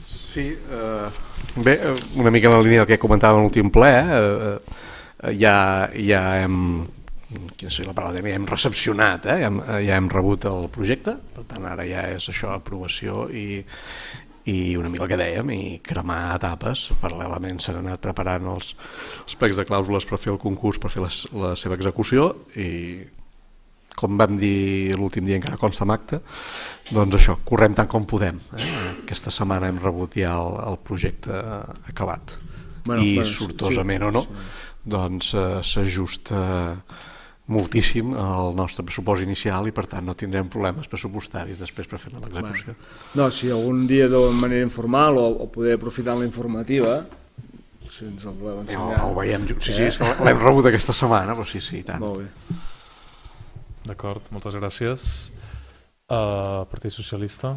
Sí, eh, bé, una mica en la línia del que comentàvem en l'últim ple, eh, eh, ja, ja hem... quina és la paraula, ja hem recepcionat, eh? ja, hem, ja hem rebut el projecte, per tant ara ja és això, aprovació i, i una mica el que dèiem, i cremar etapes. Paral·lelament s'han anat preparant els, els plecs de clàusules per fer el concurs, per fer la, la seva execució, i com vam dir l'últim dia encara consta en acte, doncs això, correm tant com podem. Eh? Aquesta setmana hem rebut ja el, el projecte acabat, bueno, i bueno, sortosament sí, o no, sí. doncs eh, s'ajusta moltíssim al nostre pressupost inicial i per tant no tindrem problemes pressupostaris després per fer l'execució. Bueno. No, si algun dia de manera informal o, o poder aprofitar la informativa, si ens el voleu ensenyar. No, ho veiem, sí, sí, és que l'hem rebut aquesta setmana, però sí, sí, tant. Molt bé. D'acord, moltes gràcies. Uh, Partit Socialista.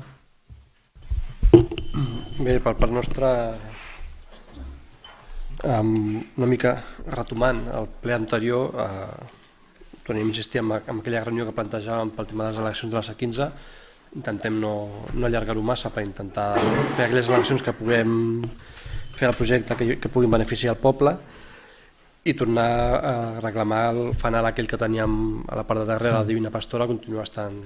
Bé, per part nostra, um, una mica retomant el ple anterior, uh, tornem a insistir en, en aquella reunió que plantejàvem pel tema de les eleccions de la C quinze, intentem no, no allargar-ho massa per intentar fer aquelles eleccions que puguem fer el projecte que, que puguin beneficiar el poble i tornar a reclamar el fanal aquell que teníem a la part de darrere, la Divina Pastora, continua estant...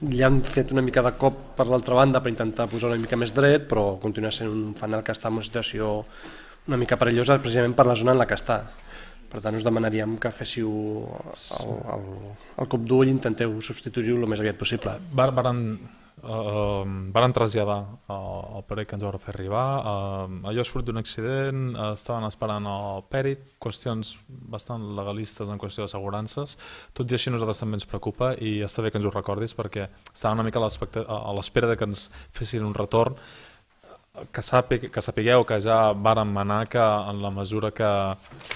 Ja hem fet una mica de cop per l'altra banda per intentar posar una mica més dret, però continua sent un fanal que està en una situació una mica perillosa precisament per la zona en la que està. Per tant, us demanaríem que féssiu el, el, el cop d'ull i intenteu substituir-ho el més aviat possible. Varen, uh, varen traslladar uh, el pèrit que ens vau fer arribar. Uh, allò és fruit d'un accident, uh, estaven esperant el pèrit, qüestions bastant legalistes en qüestió d'assegurances. Tot i així a nosaltres també ens preocupa i està bé que ens ho recordis perquè estava una mica a l'espera de que ens fessin un retorn. Que, sàpiga, que sapigueu que ja vàrem manar que en la mesura que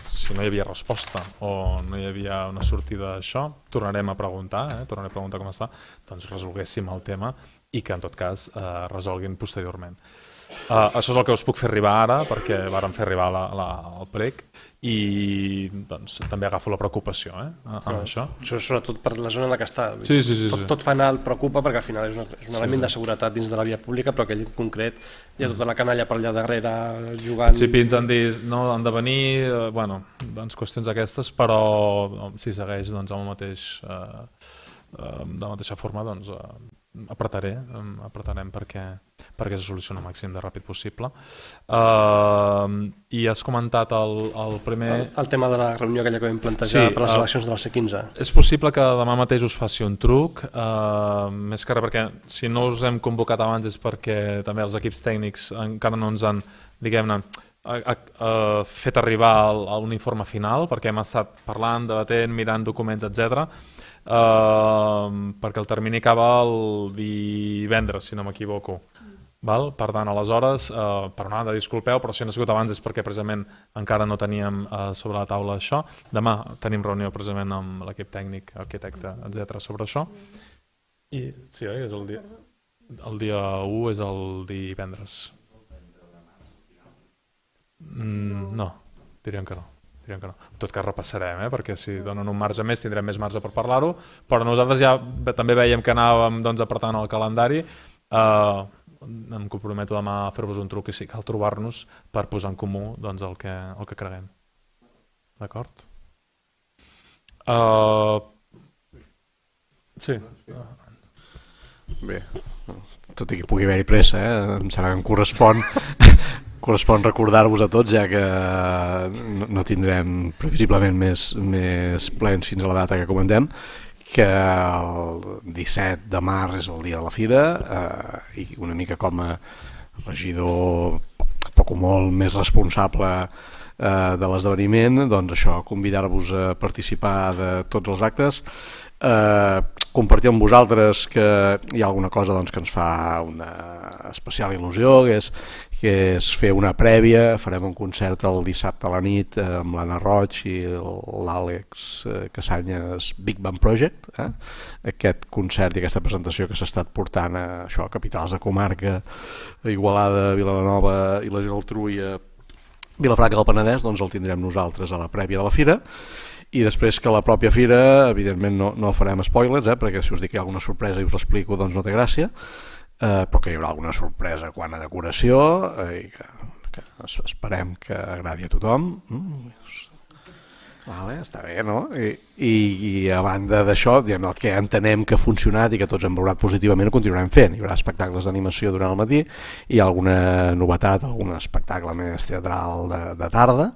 si no hi havia resposta o no hi havia una sortida d'això, tornarem a preguntar, eh? tornarem a preguntar com està, doncs resolguéssim el tema i que en tot cas eh, resolguin posteriorment. Uh, això és el que us puc fer arribar ara perquè vàrem fer arribar la, la, el prec i doncs, també agafo la preocupació eh, amb no, això. Això sobretot per la zona en la que està. Sí, sí, sí, tot, sí. tot fanal preocupa perquè al final és, una, és un element sí, de seguretat dins de la via pública, però aquell concret hi ha tota la canalla per allà darrere jugant... Sí, ens han dit, no, han de venir, eh, bueno, doncs qüestions aquestes, però si segueix doncs, amb el mateix, eh, de la mateixa forma, doncs eh, apretaré, apretarem perquè, perquè se solucioni el màxim de ràpid possible. Uh, I has comentat el, el primer... El, el tema de la reunió aquella que vam plantejar sí, per les eleccions de la C quinze. És possible que demà mateix us faci un truc, uh, més que res perquè si no us hem convocat abans és perquè també els equips tècnics encara no ens han, diguem-ne, a, a, a fet arribar el, a un informe final, perquè hem estat parlant, debatent, mirant documents, etcètera. Uh, perquè el termini acaba el divendres, si no m'equivoco. Val? Per tant, aleshores, uh, per una banda, disculpeu, però si han sigut abans és perquè precisament encara no teníem uh, sobre la taula això. Demà tenim reunió precisament amb l'equip tècnic, arquitecte, etcètera sobre això. I sí, oi? És el dia, el dia u és el divendres. Mm, no, diríem que no. En tot cas repassarem, eh? Perquè si donen un marge més tindrem més marge per parlar-ho, però nosaltres ja també veiem que anàvem doncs, apretant el calendari. Uh, em comprometo demà a fer-vos un truc i si cal trobar-nos per posar en comú doncs, el, que, el que creguem. D'acord? Uh, sí. Bé, tot i que pugui haver-hi pressa, eh? Em serà que em correspon... Correspon recordar-vos a tots, ja que no tindrem previsiblement més, més plens fins a la data que comentem, que el disset de març és el dia de la fira eh, i una mica com a regidor poc o molt més responsable eh, de l'esdeveniment, doncs això, convidar-vos a participar de tots els actes, eh, compartir amb vosaltres que hi ha alguna cosa doncs, que ens fa una especial il·lusió, que és, que és fer una prèvia. Farem un concert el dissabte a la nit amb l'Anna Roig i l'Àlex Casanyes Big Band Project. Eh? Aquest concert i aquesta presentació que s'ha estat portant a, això, a capitals de comarca, a Igualada, Vilanova i la Geltrú, a Vilafranca del Penedès doncs el tindrem nosaltres a la prèvia de la fira, i després que la pròpia fira, evidentment no, no farem spoilers, eh, perquè si us dic que hi ha alguna sorpresa i us l'explico doncs no té gràcia, eh, però que hi haurà alguna sorpresa quan a decoració, eh, i que, que esperem que agradi a tothom. Mm. Vale, està bé, no? I, i, i a banda d'això, el que entenem que ha funcionat i que tots hem valorat positivament ho continuarem fent. Hi haurà espectacles d'animació durant el matí, hi ha alguna novetat, algun espectacle més teatral de, de tarda,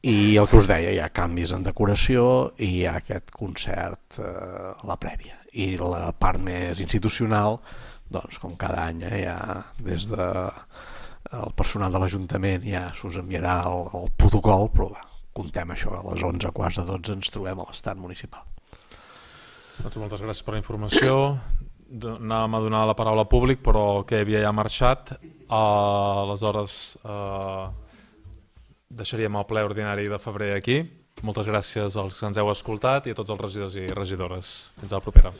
i el que us deia, hi ha canvis en decoració i hi ha aquest concert eh, a la prèvia. I la part més institucional, doncs com cada any, eh, ja des de el personal de l'Ajuntament ja s'us enviarà el, el protocol, però va, contem això, a les onze, quarts de dotze ens trobem a l'estat municipal. Doncs moltes gràcies per la informació. Anàvem a donar la paraula al públic, però el que havia ja marxat. Uh, aleshores uh, deixaríem el ple ordinari de febrer aquí. Moltes gràcies als que ens heu escoltat i a tots els regidors i regidores. Fins a la propera.